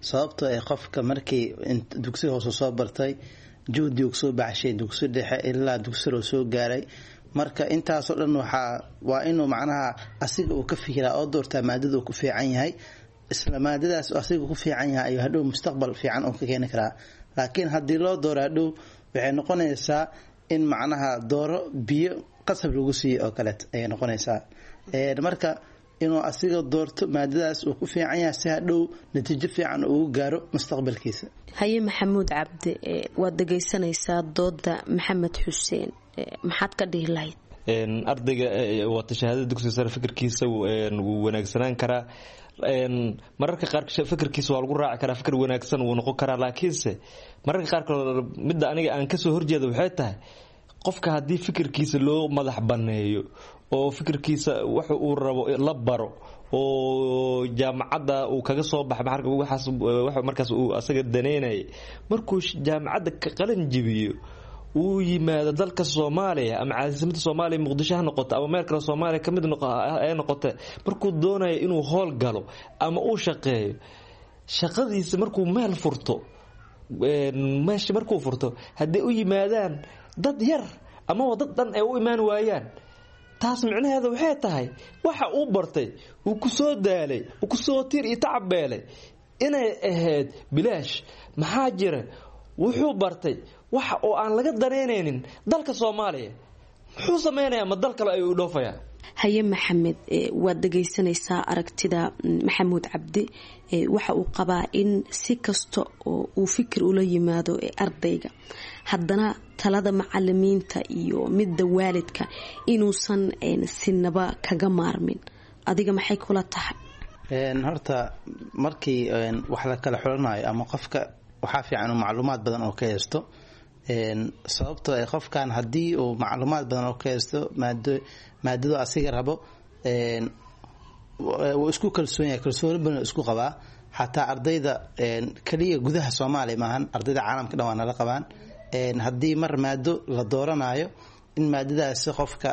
sababtoo ay qofka markii dugsi hoose soo bartay, juhdi uu soo baxshay dugsi dhexe ilaa dugsi soo gaaray, marka intaasoo dhan waxaa waa inuu macnaha asiga uu ka fikiraa oo doortaa maadada uu ku fiican yahay. Isla maadadaas asiga ku fiican yahay ayuu hadhow mustaqbal fiican uu ka keeni karaa. Laakiin haddii loo dooro, hadhow waxay noqonaysaa in macnaha dooro biyo qasab lagu siiyo oo kaleet ayay noqonaysaa. Marka inuu asiga doorto maadadaas uu ku fiican yahay si hadhow natiijo fiican ugu gaaro mustaqbalkiisa. Haye Maxamuud Cabdi, waad dhegaysanaysaa dooda Maxamed Xuseen, maxaad ka dhihi lahayd? Ardayga wata shahaadada dugsiga sare fikirkiisa wuu wanaagsanaan karaa, mararka qaar fikirkiisa waa lagu raaci karaa, fikir wanaagsan wuu noqon karaa. Laakiinse mararka qaarkood midda aniga aan kasoo horjeeda waxay tahay, qofka haddii fikirkiisa loo madax banneeyo oo fikirkiisa wax uu rabo la baro oo jaamacadda uu kaga soo baxay, waxaas markaas uu asaga daneynayay, markuu jaamacadda ka qalin jibiyo uu yimaado dalka Soomaaliya ama caasimadda Soomaaliya Muqdisho ha noqoto ama meel kale Soomaaliya kamid ay noqote, markuu doonayo inuu howl galo ama uu shaqeeyo, shaqadiisa markuu meel furto, meesha markuu furto hadday u yimaadaan dad yar amaba dad dhan ay u imaan waayaan, taas micnaheeda waxay tahay waxa uu bartay, uu ku soo daalay, uu kusoo tiir iyo tacab beelay inay ahayd bilaash. Maxaa jira? Wuxuu bartay waxa oo aan laga danaynaynin dalka Soomaaliya. Muxuu sameynayaa? Ma dal kale ayuu dhoofayaa? Haye Maxamed, waad dhegaysanaysaa aragtida Maxamuud Cabdi. Waxa uu qabaa in si kasta oo uu fikir ula yimaado ee ardayga, haddana talada macalimiinta iyo midda waalidka inuusan sinaba kaga maarmin. Adiga maxay kula tahay? Horta markii wax la kala xulanayo ama qofka waxaa fiican uu macluumaad badan oo ka haysto, sababtoo ay qofkan haddii uu macluumaad badan oo ka haysto maado maadadu asiga rabo, wuu isku kalsoon yahay, kalsooni badan isku qabaa. Xataa ardayda kaliya gudaha Soomaaliya maahan, ardayda caalamka dhan waa nala qabaan. Haddii mar maado la dooranayo, in maadadaasi qofka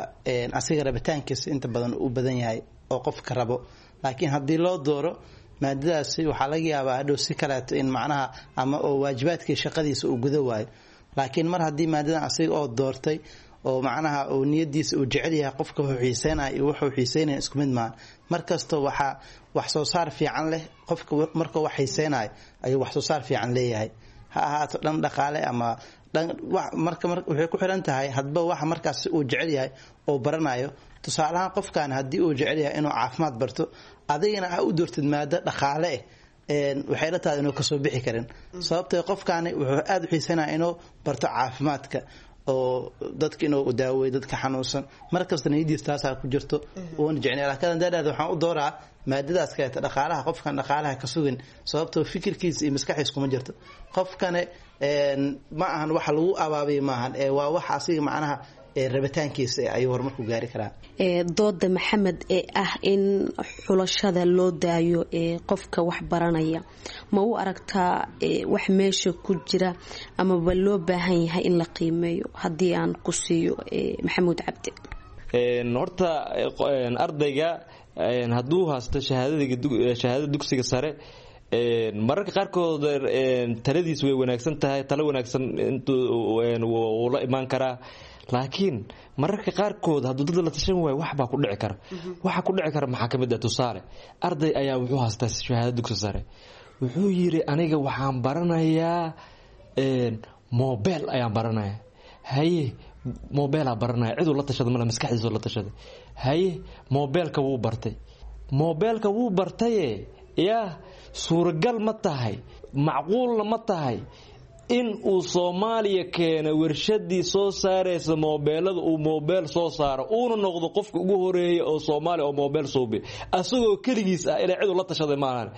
asiga rabitaankiisa inta badan u badan yahay oo qofka rabo. Laakiin haddii loo dooro maadadaasi, waxaa laga yaabaa hadhow si kaleeto in macnaha ama oo waajibaadkii shaqadiisa uu guda waayo. Laakiin mar haddii maadadan asiga oo doortay oo macnaha uu niyadiisa uu jecel yahay, qofka wuxuu xiiseynaya iyo wuxuu xiiseynaya isku mid maaha. Markasta waxaa wax soo saar fiican leh qofka markuu wax xiiseynayo ayuu wax soo saar fiican leeyahay, ha ahaato dhan dhaqaale ama dhan. Marka waxay ku xiran tahay hadba waxa markaas uu jecel yahay oo baranayo. Tusaalahaan, qofkan haddii uu jecel yahay inuu caafimaad barto, adigana ha u doortid maado dhaqaale eh, waxay la tahay inuu kasoo bixi karin, sababtoo qofkaani wuxuu aada u xiisanaya inuu barto caafimaadka oo dadka inuu daaweeyo dadka xanuunsan. Markasta niyadiis taasaa ku jirto, uuna jecnay. Laakiin haddaan dhahdo waxaan u dooraa maadadaas kaleeta dhaqaalaha, qofkan dhaqaalaha ka sugin, sababtoo fikirkiisa iyo maskaxdiisa kuma jirto. Qofkane ma ahan waxa lagu abaabiyo maahan, ee waa wax asiga macnaha rabitaankiisa ayuu horumarku gaari karaa. Dooda Maxamed ee ah in xulashada loo daayo ee qofka wax baranaya, ma u aragtaa wax meesha ku jira amaba loo baahan yahay in la qiimeeyo? Haddii aan ku siiyo Maxamuud Cabdi. Horta ardayga hadduu haysto shahaadada dugsiga sare, mararka qaarkood taladiis way wanaagsan tahay, talo wanaagsan wuu la imaan karaa. Laakiin mararka qaarkood hadduu dad la tashan waayo, wax baa ku dhici kara. Waxa ku dhici kara maxaa ka mid ah? Tusaale, arday ayaa wuxuu haystaa shahaado dugsi sare, wuxuu yidhi aniga waxaan baranayaa mobile ayaan baranayaa. Haye, mobilaa baranaya, ciduu la tashada male, maskaxdiisuu la tashaday. Haye, mobilka wuu bartay, mobilka wuu bartaye, yaa suuragal ma tahay, macquulna ma tahay In uu Soomaaliya keeno warshadii soo saaraysa moobeelada, uu moobeel soo saaro, uuna noqdo qofka ugu horeeya oo Soomaaliya oo moobeel suubi asagoo keligiis ah, ilaa cid uu la tashaday maahan.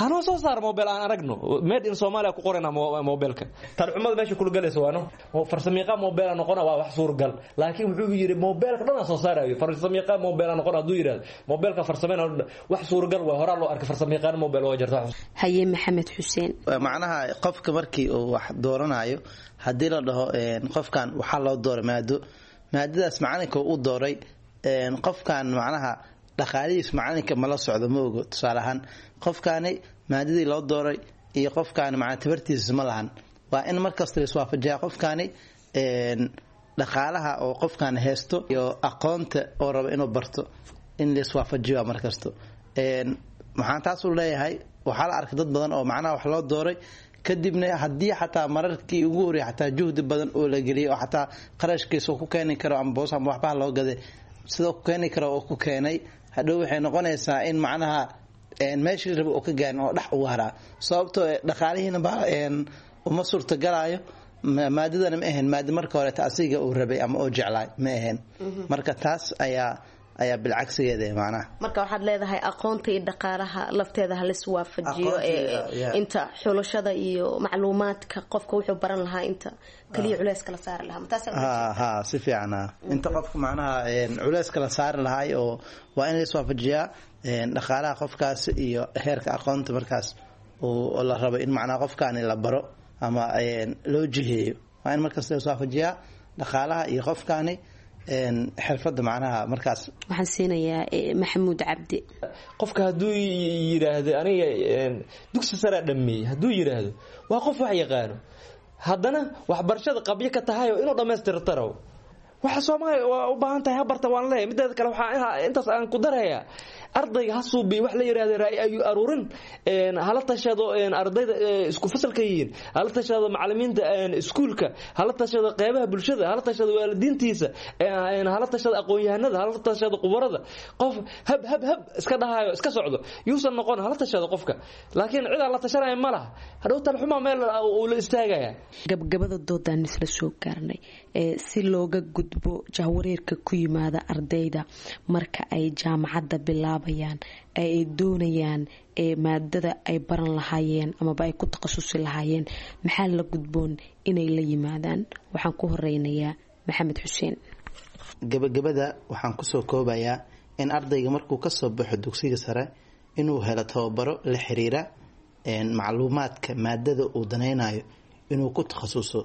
Hanoo soo saaro moobeel aan aragno made in Soomaaliya ku qorayna moobeelka. Tarxumada meesha kula galaysa waano farsamiiqa moobeela noqona waa wax suurgal, laakiin wuxuu yidhi moobeelka dhan aan soo saarayo, farsamiiqa moobeela noqona hadduu yidhahdo moobeelka farsameyna wax suurgal waa horaa loo arkay farsamiiqaan moobeel waa jirta. Haye, Maxamed Xuseen. Macnaha qofka markii uu wax dooranayo, haddii la dhaho qofkan waxaa loo dooray maado, maadadaas macalinka u dooray, qofkan macnaha dhaqaalihiis macalinka mala socdo, ma ogo. Tusaale ahaan, qofkaani maadadii loo dooray iyo qofkaani macnaa tabartiisa ma lahan. Waa in markasta la iswaafajiyaa qofkaani dhaqaalaha oo qofkan haysto iyo aqoonta oo raba inuu barto, in la iswaafajiyo markasto. Maxaan taas u leeyahay? Waxaa la arkay dad badan oo macnaha wax loo dooray, kadibna haddii xataa mararkii ugu horreeyay xataa juhdi badan oo la geliyay oo xataa qarashkiisa ku keeni karo ama boos ama waxbaha loo gaday sidoo ku keeni karo oo ku keenay, hadhow waxay noqonaysaa in macnaha meeshii raba oo ka gaarin oo dhex ugu haraa, sababtoo dhaqaalihiina ba uma suurtagalaayo. Maadadana ma ahayn maada marka horeeta asiga uu rabay ama oo jeclaay ma ahayn. Marka taas ayaa ayaa bilcagsigeeda macnaha. Marka waxaad leedahay aqoonta iyo dhaqaalaha lafteeda halis waafajiyo inta xulashada iyo macluumaadka qofka wuxuu baran lahaa, inta kaliya culeyska la saari lahaa. Ha, si fiican. Ha, inta qofka macnaha culeyska la saari lahaay oo waa in la iswaafajiyaa dhaqaalaha qofkaas iyo heerka aqoonta markaas oo la rabo in macnaha qofkaani la baro ama loo jiheeyo. Waa in markaas la iswaafajiyaa dhaqaalaha iyo qofkaani xirfada macnaha markaas. Waxaan siinayaa Maxamuud Cabdi. Qofka hadduu yidhaahdo aniga dugsi saraa dhameeyey, hadduu yidhaahdo waa qof wax yaqaano, haddana waxbarashada qabyo ka tahayo inuu dhammaystirtaro waxa Soomaaliya waa u baahan tahay, ha barta waan leeyahay. Mideeda kale, waxaa intaas aan ku darayaa, ardayga ha suubiyo wax la yiraahdo ra'yi ayu aruurin, hala tashado ardayda isku fasalka yihiin, hala tashado macallimiinta iskuulka, hala tashado qeybaha bulshada, hala tashado waalidiintiisa, hala tashado aqoon-yahanada, hala tashado khubarada. Qof hab hab hab iska dhahayo iska socdo yuusan noqon. Hala tashado qofka, laakiin cid aan la tashanaya ma laha, hadhow talxuma meel uu la istaagaya. Gabgabada doodaan isla soo gaarnay. Si looga gudbo jahwareerka ku yimaada ardayda marka ay jaamacadda bilaabayaan ee ay doonayaan ee maadada ay baran lahaayeen amaba ay ku takhasusi lahaayeen, maxaa la gudboon inay la yimaadaan? Waxaan ku horeynayaa Maxamed Xuseen. Gabagabada waxaan kusoo koobayaa in ardayga markuu kasoo baxo dugsiga sare inuu helo tababaro la xiriira macluumaadka maadada uu danaynayo inuu ku takhasuso,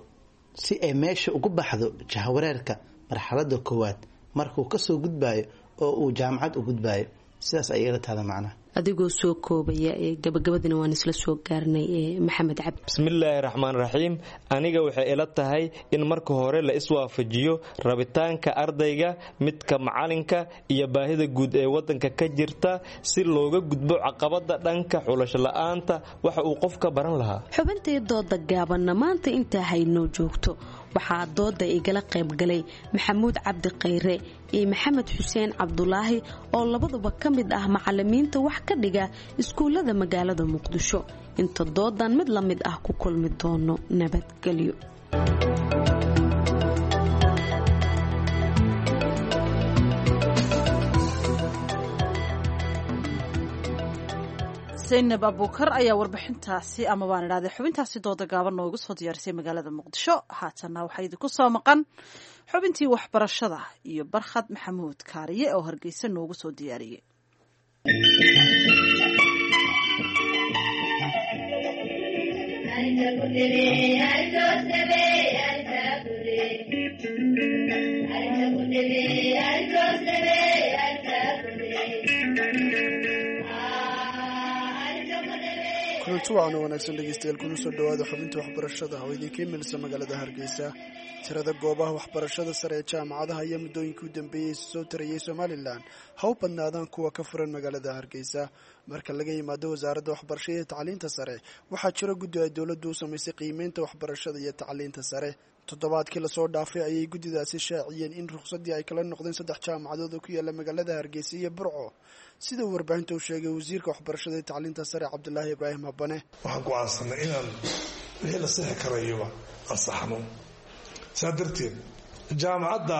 si ay meesha ugu baxdo jahwareerka marxalada koowaad markuu kasoo gudbayo oo uu jaamacad u gudbayo. Sidaas ayay ila tahda macnaha. Adigoo soo koobaya, gabagabadina waan isla soo gaarnay, Maxamed Cabdi. Bismillaahi raxmaan raxiim. Aniga waxay ila tahay in marka hore la iswaafajiyo rabitaanka ardayga, midka macalinka iyo baahida guud ee wadanka ka jirta, si looga gudbo caqabada dhanka xulasho la-aanta waxa uu qofka baran lahaa. Xubintii dooda gaabanna maanta intaa haynoo joogto. Waxaa dooda igala qaybgalay Maxamuud Cabdi Khayre iyo Maxamed Xuseen Cabdulaahi oo labaduba ka mid ah macalimiinta wax ka dhiga iskuullada magaalada Muqdisho. Inta doodan mid la mid ah ku kulmi doono, nabadgelyo. Zaynab Abuukar ayaa warbixintaasi ama waan idhahday xubintaasi dooda gaaban noogu soo diyaarisay magaalada Muqdisho. Haatanna waxaa idinku soo maqan xubintii waxbarashada iyo Barkhad Maxamuud Kaariye oo Hargeysa noogu soo diyaariyey. Kulanti waxaana wanaagsan dhegeystayaal, kuna soo dhawaada xubinta waxbarashada oo idinka imanaysa magaalada Hargeysa. Tirada goobaha waxbarashada sare ee jaamacadaha ayaa muddooyinkii u dambeeyey soo tarayay Somalilan, ha u badnaadaan kuwa ka furan magaalada Hargeysa. Marka laga yimaado wasaaradda waxbarashada iyo tacliinta sare, waxaa jira guddi ay dowladdu u samaysay qiimeynta waxbarashada iyo tacliinta sare. Toddobaadkii lasoo dhaafay ayay guddidaasi shaaciyeen in ruqsaddii ay kala noqdeen saddex jaamacadood oo ku yaala magaalada Hargeysa iyo Burco, sida uu warbaahinta u sheegay wasiirka waxbarashada iyo tacliinta sare Cabdilaahi Ibraahim Habane. Waxaan go'aansanay inaan wixii la sixi karayaba ansaxno. Saa darteed jaamacadda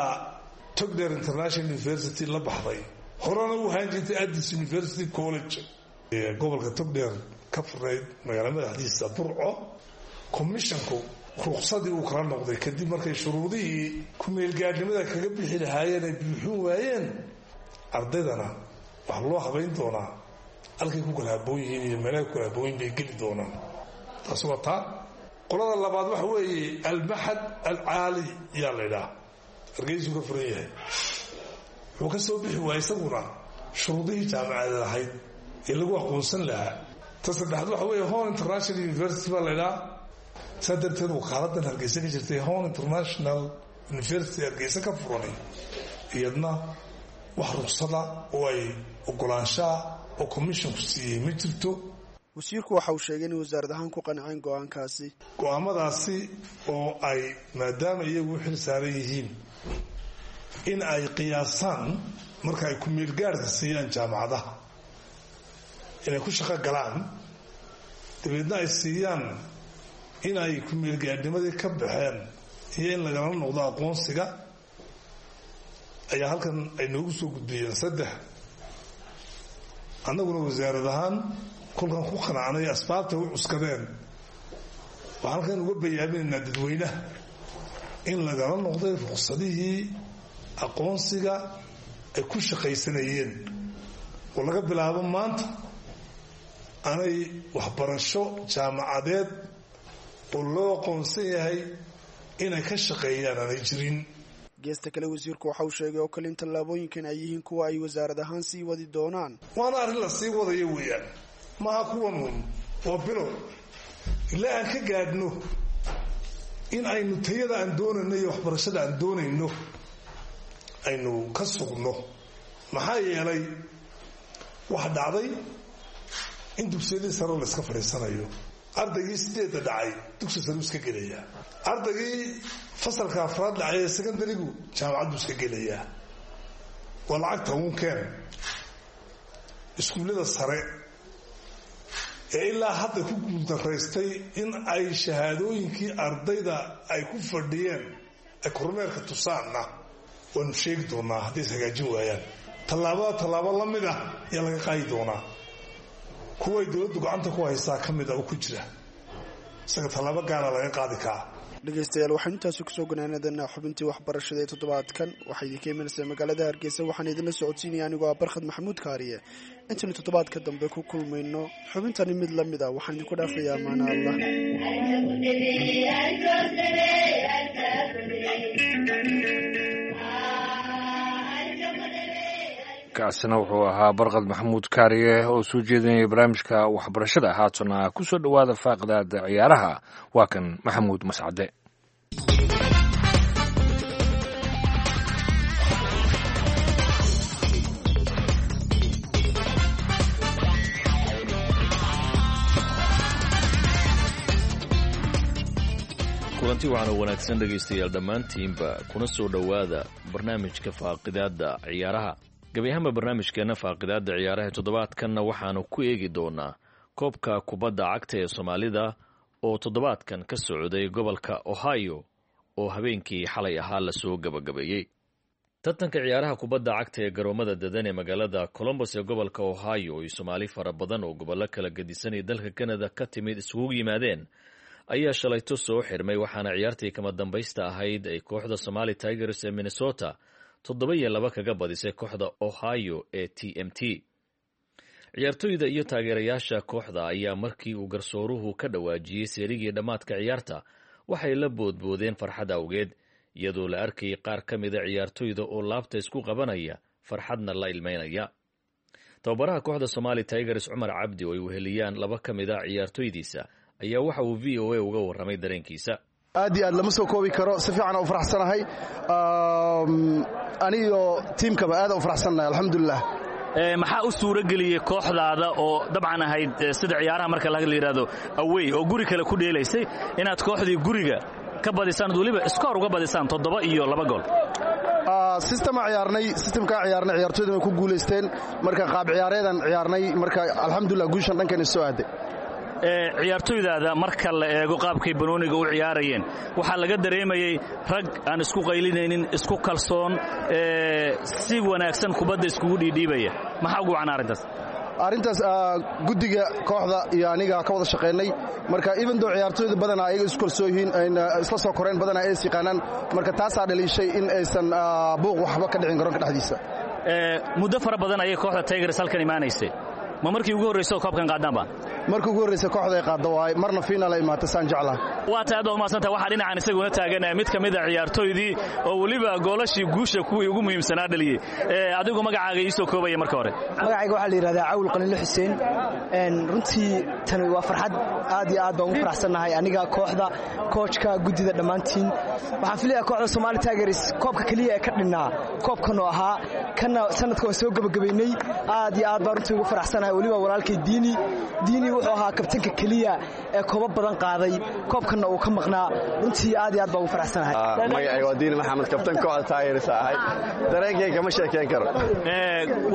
Togdheer International University la baxday, horena u ahaan jirtay Addis University College ee gobolka Togdheer ka furnayd magaala madaxdiisa Burco, commissionku ruqsadii uu kala noqday kadib markay shuruudihii ku-meelgaadhnimada kaga bixi lahaayeen ay buuxin waayeen. Ardaydana waxaa loo habayn doonaa halkay ku kala haboon yihiin iyo meelahay ku kala haboon yihin bay geli doonaan. Taasi waa taa. Qolada labaad waxa weeye Almaxad Alcaali yaa la ydhaha, Hargeysuu ka furan yahay. Wuxuu ka soo bixi waayey isaguna shuruudihii jaamacadeed ahayd ee lagu aqoonsan lahaa. Ta saddexaad waxa weeye Horn International University baa la ydhaha. Saa darteed wakaaladan Hargeysa ka jirtay, Horn International University Hargeysa ka furanay, iyadna wax ruqsada oo ay ogolaanshaha oo commissionku siiyey ma jirto. Wasiirku waxa uu sheegay in wasaarad ahaan ku qanceen go-aankaasi. Go-aamadaasi oo ay maadaama iyagu u xil saaran yihiin in ay qiyaasaan marka ay ku-meelgaarka siiyaan jaamacadaha inay ku shaqo galaan, dabeedna ay siiyaan in ay ku-meelgaadhnimadii ka baxeen iyo in lagala noqdo aqoonsiga, ayaa halkan ay noogu soo gudbiyeen saddex. Annaguna wasaarad ahaan kolkan ku qanacnay asbaabtay u cuskadeen, waxaan halkan uga bayaaminaynaa dadweynaha in lagala noqday ruqsadihii aqoonsiga ay ku shaqaysanayeen, oo laga bilaabo maanta aanay waxbarasho jaamacadeed oo loo aqoonsan yahay inay ka shaqeeyaan aanay jirin. Geesta kale, wasiirku waxa uu sheegay oo kale in tallaabooyinkan ay yihiin kuwa ay wasaarad ahaan sii wadi doonaan. Waana arrin la sii wadayo weeyaan, maaha kuwan uun, waa bilow ilaa aan ka gaadhno in aynu tayada aan doonayno iyo waxbarashada aan doonayno aynu ka sugno. Maxaa yeelay waxa dhacday in dugsiyadii sare la iska fadhiisanayo. Ardaygii sideedda dhacay dugsi sare u iska gelayaa, ardaygii fasalka afraad dhacay ee secondarigu jaamacad buu iska gelayaa. Waa lacagta uun keen. Iskuullada sare ee ilaa hadda ku guuldaraystay in ay shahaadooyinkii ardayda ay ku fadhiyeen ay kormeerka tusaanna waanu sheegi doonaa. Hadday is hagaajin waayaan, tallaabada tallaabo la mid ah ayaa laga qaadi doonaa. Kuway dowladdu gacanta ku haysaa ka mid a oo ku jira isaga tallaabo gaara laga qaadi karaa. Dhegeystayaal, waxaynu intaasi kusoo ganaanadanaa xubintii waxbarashada ee toddobaadkan. Waxaa idinka imanaysaa magaalada Hargeysa, waxaan idinla socodsiinaya anigoo ah Barkhad Maxamuud Kaariye. Intaynu toddobaadka dambe ku kulmayno xubintani mid la mid ah, waxaan idinku dhaafayaa amaana Allah. Kaasina wuxuu ahaa Barqad Maxamuud Kaariye oo soo jeedinaya barnaamijka waxbarashada. Haatana ku soo dhowaada faaqidaada ciyaaraha, waa kan Maxamuud Mascade. Kulanti waxaana wanaagsan dhegaystayaal dhammaantiinba, kuna soo dhowaada barnaamijka faaqidaadda ciyaaraha. Gebi ahaanba barnaamijkeenna faaqidaadda ciyaaraha toddobaadkanna waxaanu ku eegi doonaa koobka kubadda cagta ee Soomaalida oo toddobaadkan ka socday gobolka Ohio oo habeenkii xalay ahaa lasoo gabagabeeyey. Tartanka ciyaaraha kubadda cagta ee garoomada dadan ee magaalada Colombos ee gobolka Ohio ay Soomaali fara badan oo gobollo kala gedisanaya dalka Canada ka timid isugu yimaadeen ayaa shalayto soo xirmay, waxaana ciyaartii kama dambaysta ahayd ay kooxda Somali Tigers ee Minnesota toddoba iyo laba kaga badisay kooxda Ohio ee T M T. Ciyaartoyda iyo taageerayaasha kooxda ayaa markii uu garsooruhu ka dhawaajiyey seerigii dhammaadka ciyaarta waxay la boodboodeen farxad awgeed, iyadoo la arkayay qaar ka mida ciyaartoyda oo laabta isku qabanaya farxadna la ilmeynaya. Tababaraha kooxda Somali Tigers Cumar Cabdi oo ay weheliyaan laba ka mid a ciyaartoydiisa ayaa waxa uu V O A uga warramay dareenkiisa. Aad iyo aad lama soo koobi karo, si fiican u faraxsanahay, aniyo tiimkaba aad u faraxsanahay, alxamdulilah. Maxaa u suura geliyey kooxdaada oo dabcan ahayd sida ciyaaraha marka la yidhaahdo awey oo guri kale ku dheelaysay inaad kooxdii guriga ka badisaan weliba iskoor uga badisaan toddoba iyo laba gool. Sistema ciyaarnay, sistemkaa ciyaarnay, ciyaartoyduna way ku guulaysteen. Marka qaab ciyaareedan ciyaarnay, marka alxamdulilah guushan dhankan soo aaday. Ciyaartoydaada marka la eego qaabkay banooniga u ciyaarayeen, waxaa laga dareemayey rag aan isku qaylinaynin, isku kalsoon, si wanaagsan kubadda iskugu dhiidhiibaya. Maxaa ugu wacan arrintaas? Arrintaas guddiga kooxda iyo aniga ka wada shaqaynay. Marka even though ciyaartoyda badanaa ayaga isku kalsoon yihiin, ayna isla soo koreen, badanaa ay is yaqaanaan, marka taasaa dhaliishay in aysan buuq waxba ka dhicin garoonka dhexdiisa. Muddo fara badan ayay kooxda Tigers halkan imaanaysay. Ma markii ugu horreysa oo koobkan qaadaanba? Markii ugu horreysa kooxda ay qaaddo waay, marna final ay imaatay saan jeclaha. Waa tahay, aad baad umahadsantahay. Waxaa dhinacan isaguna taagan mid ka mid a ciyaartoydii oo weliba goolashii guusha kuwii ugu muhiimsanaa dhaliyey. Adigu magacaaga ii soo koobaya marka hore. Magacayga waxaa la yidhahdaa Cawil Qaliilo Xuseen. Runtii tani waa farxad, aad iyo aad baan ugu faraxsannahay aniga, kooxda, koojka, guddida, dhammaantiin. Waxaan filayaa kooxda Somali Tigers koobka keliya ee ka dhinnaa koobkan oo ahaa kana sanadka waan soo gebagabaynay. Aad iyo aad baan runtii ugu faraxsanahay. Weliba walaalkay Diini. Diini wuxuu ahaa kabtanka keliya ee koobab badan qaaday, koobkanna uu ka maqnaa. Runtii aad iyo aad baan ugu faraxsanahay. Magacayga waa Diini Maxamed, kabtan kooxda Tigers ahay. Dareenkayga kama sheekeyn karo.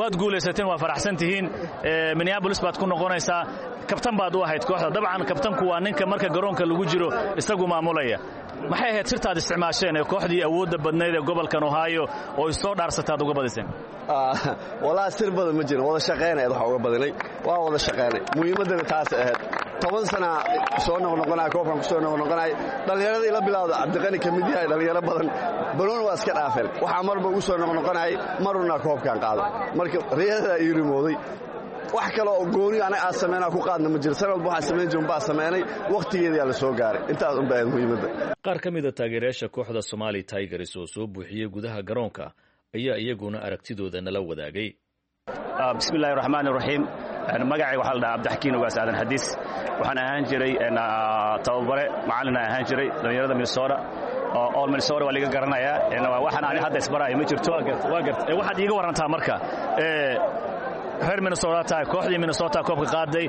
Waad guulaysateen, waa faraxsan tihiin, Minneapolis baad ku noqonaysaa, kabtan baad u ahayd kooxda. Dabcan kabtanku waa ninka marka garoonka lagu jiro isagu maamulaya. Maxay ahayd sirtaad isticmaasheen ee kooxdii awoodda badnayd ee gobolkan Ohio oo isoo dhaarsataad uga badiseen? Walaa sir badan ma jirin, wada shaqaynayd waxa uga badinay waa wada shaqaynay. Muhiimaddana taas ahayd. Toban sana soo noqnoqonaya koobkan ku soo noqnoqonaya, dhallinyarada ila bilowda Cabdiqani ka mid yahay, dhallinyaro badan banooni waa iska dhaafeen. Waxaa marba ugu soo noqnoqonayay maruna koobkan qaado, marka riyadadaa ii rimooday. Wax kale oo gooni anaga aad sameynaa ku qaadna ma jiro. San walba waxaan samayn jirin baa sameynay, wakhtigeedayaa la soo gaaray. Intaas unbaa ahayd muhiimadda. Qaar ka mid a taageerayaasha kooxda Somali Tigers oo soo buuxiyey gudaha garoonka ayaa iyaguna aragtidooda nala wadaagay. Bismillahi raxmaan raxiim. Magacayga waxaa la dhahaa Cabdixakiin Ogaas Aadan Xadiis. Waxaan ahaan jiray tababare, macallin aan ahaan jiray dhallinyarada Minnesota. All Minnesota waa liga garanayaa. Waxaan ani hadda isbaraayo ma jirto. Waxaad iiga warantaa marka, reer Minnesota tahay, kooxdii Minnesota koobka qaaday,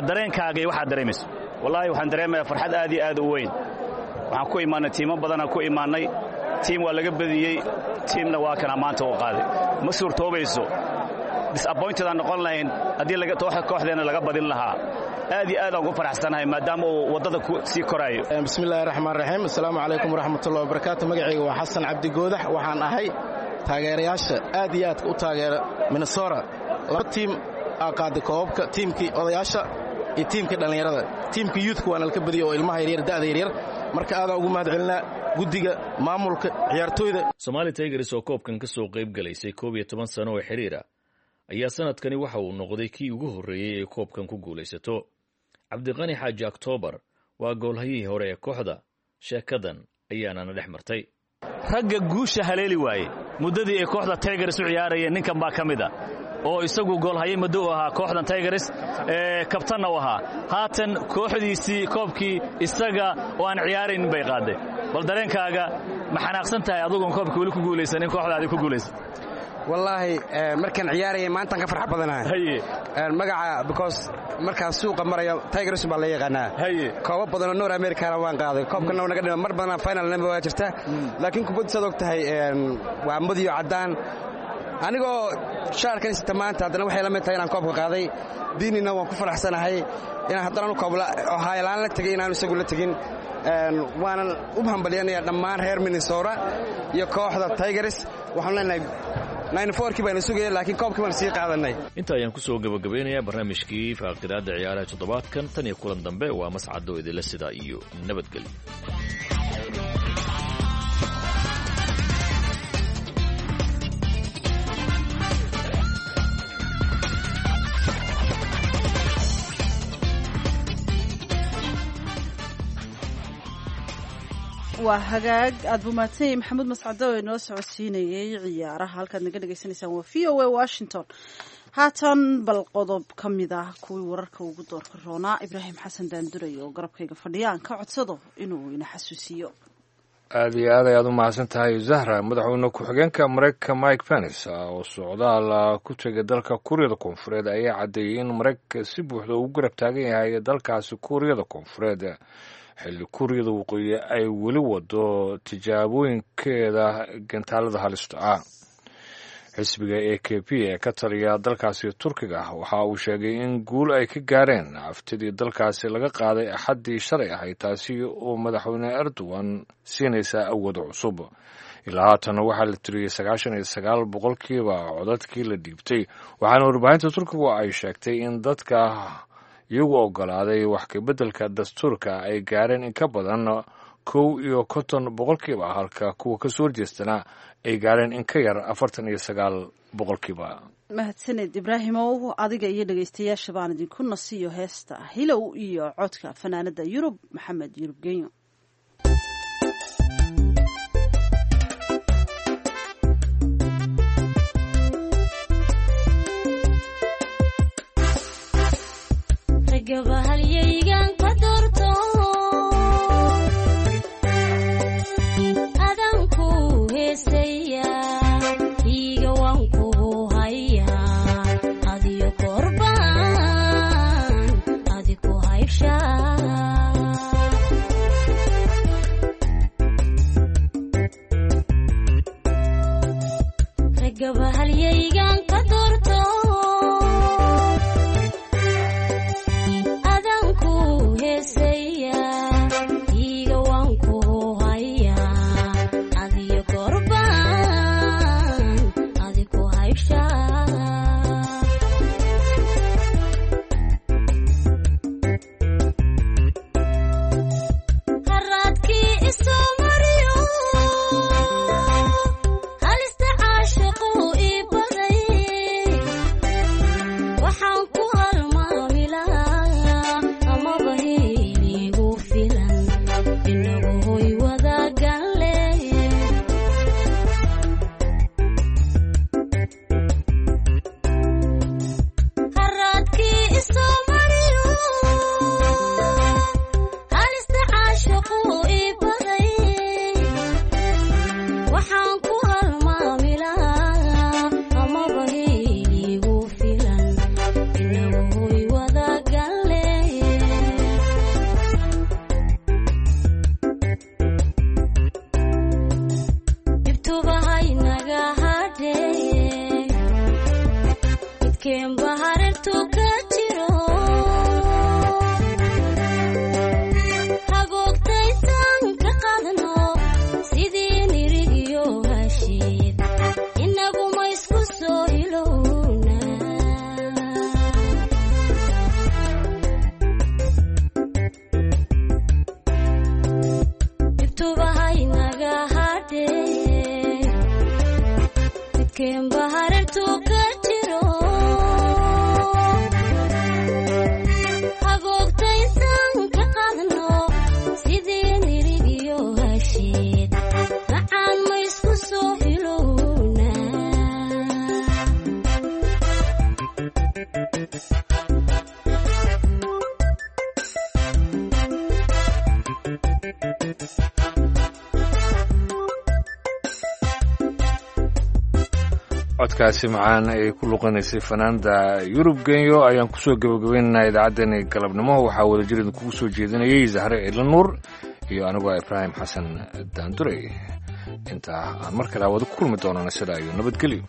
dareenkaaga iyo waxaad dareemayso? Wallaahi waxaan dareemayaa farxad aad iyo aad u weyn. Waxaan ku imaannay tiimo badanaan ku imaannay, tiim waa laga badiyey, tiimna waa kana maanta u qaaday. Ma suurtoobayso, disappointed aan noqon lahayn haddii kooxdeenna laga badin lahaa. Aad iyo aad aan ugu faraxsanahay maadaama uu waddada sii koraayo. Bismillahi raxmaan raxiim. Assalaamu calaykum waraxmatullahi wabarakaatu. Magacayga waa Xasan Cabdi Goodax. Waxaan ahay taageerayaasha aad iyo aadka u taageera Minnesota. Laba tiim aa qaaday koobabka, tiimkii odayaasha iyo tiimkii dhallinyarada. Tiimka youthka waana laka badiyey oo ilmaha yaryar, da'da yaryar. Marka aadaan ugu mahad celinaa guddiga maamulka ciyaartooyda. Somali Tigers oo koobkan ka soo qayb galaysay koob iyo toban sano oo xiriira ayaa sanadkani waxa uu noqday kii ugu horreeyey ee koobkan ku guulaysato. Cabdiqani Xaaji Oktoobar waa goolhayihii hore ee kooxda, sheekadan ayaanana dhex martay. Ragga guusha haleeli waayey muddadii ay kooxda Tigers u ciyaarayeen ninkan baa ka mid a, oo isagu goolhaye muddo u ahaa kooxdan Tigers, kabtanna u ahaa. Haatan kooxdiisii koobkii isaga oo aan ciyaaraynin bay qaaday. Bal dareenkaaga, ma xanaaqsan tahay adugoon koobkii weli ku guulaysanin kooxdaadii ku guulaysan? Wallaahi markaan ciyaarayay maantaan ka farx badanahay magaca, because markaan suuqa marayo Tigers baa la yaqaanaa. Koobo badanoo North Americana waan qaaday, koobkana naga dhima mar badanaa finalnaba waa jirta. Laakiin kubaddu saad og tahay waa madiyo caddaan. Anigoo shaarkan sita maanta haddana waxay la mid tahay inaan koobka qaaday. Diinina waan ku faraxsanahay inaan haddana koobla ohaayolaan la tegay inaanu isagu la tegin. Waanan u hambalyanayaa dhammaan reer Minnesota iyo kooxda Tigers. Waxaan leenahay kii baynu sugaya, laakiin koobkii baanu sii qaadanay. Inta ayaan ku soo gabagabeynayaa barnaamijkii faaqidaadda ciyaaraha toddobaadkan. Tan iyo kulan dambe, waa Mascado idinla sidaa iyo nabadgelyo. Waa hagaag, aad buu mahadsanyay Maxamuud Mascado oo inoo socodsiinayay ciyaaraha. Halkaad naga dhagaysanaysaan waa V O A Washington. Haatan bal qodob ka mid ah kuwii wararka ugu doorka roonaa, Ibraahim Xasan Daanduray oo garabkayga fadhiya aan ka codsado inuu ina xasuusiyo. Aada iyo aad ayaad u mahadsan tahay, Zahra. Madaxweyne ku-xigeenka Mareykanka Mike Pence oo socdaal ku tegay dalka Kuuriyada Koonfureed ayaa caddeeyey in Mareykanka si buuxda ugu garab taagan yahay dalkaasi Kuuriyada Koonfureed, Xilli Kuuriyada Waqooyi ay weli wado tijaabooyinkeeda gantaalada halista ah. Xisbiga A K P ee ka taliya dalkaasi Turkiga waxa uu sheegay in guul ay ka gaareen aftidii dalkaasi laga qaaday Axaddii shalay ahayd, taasi oo madaxweyne Erdogan siinaysa awood cusub. Ilaa haatan waxaa la tiriyey sagaashan iyo sagaal boqolkiiba codadkii la dhiibtay, waxaana warbaahinta Turkigu ay sheegtay in dadka iyagu ogolaaday wax kabeddelka dastuurka ay gaareen in ka badan kow iyo konton boqolkiiba, halka kuwa kasoo horjeestana ay gaareen in ka yar afartan iyo sagaal boqolkiiba. Mahadsaned Ibraahimow, adiga iyo dhegaystayaasha baan idinku nasiyo heesta Hilow iyo codka fanaanada Yurub Maxamed Yurub Genyo. Codkaasi macaan ay ku luqanaysay fanaanda Yurub Genyo ayaan kusoo gabagabaynaynaa idaacaddeenii galabnimo. Waxaa wadajir idinkugu soo jeedinayay Zahre Ciidla Nuur iyo anigoo Ibraahim Xasan Daandurey. Intaa aan mar kale wada ku kulmi doonana, sidaa iyo nabadgelyo.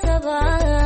kastaba.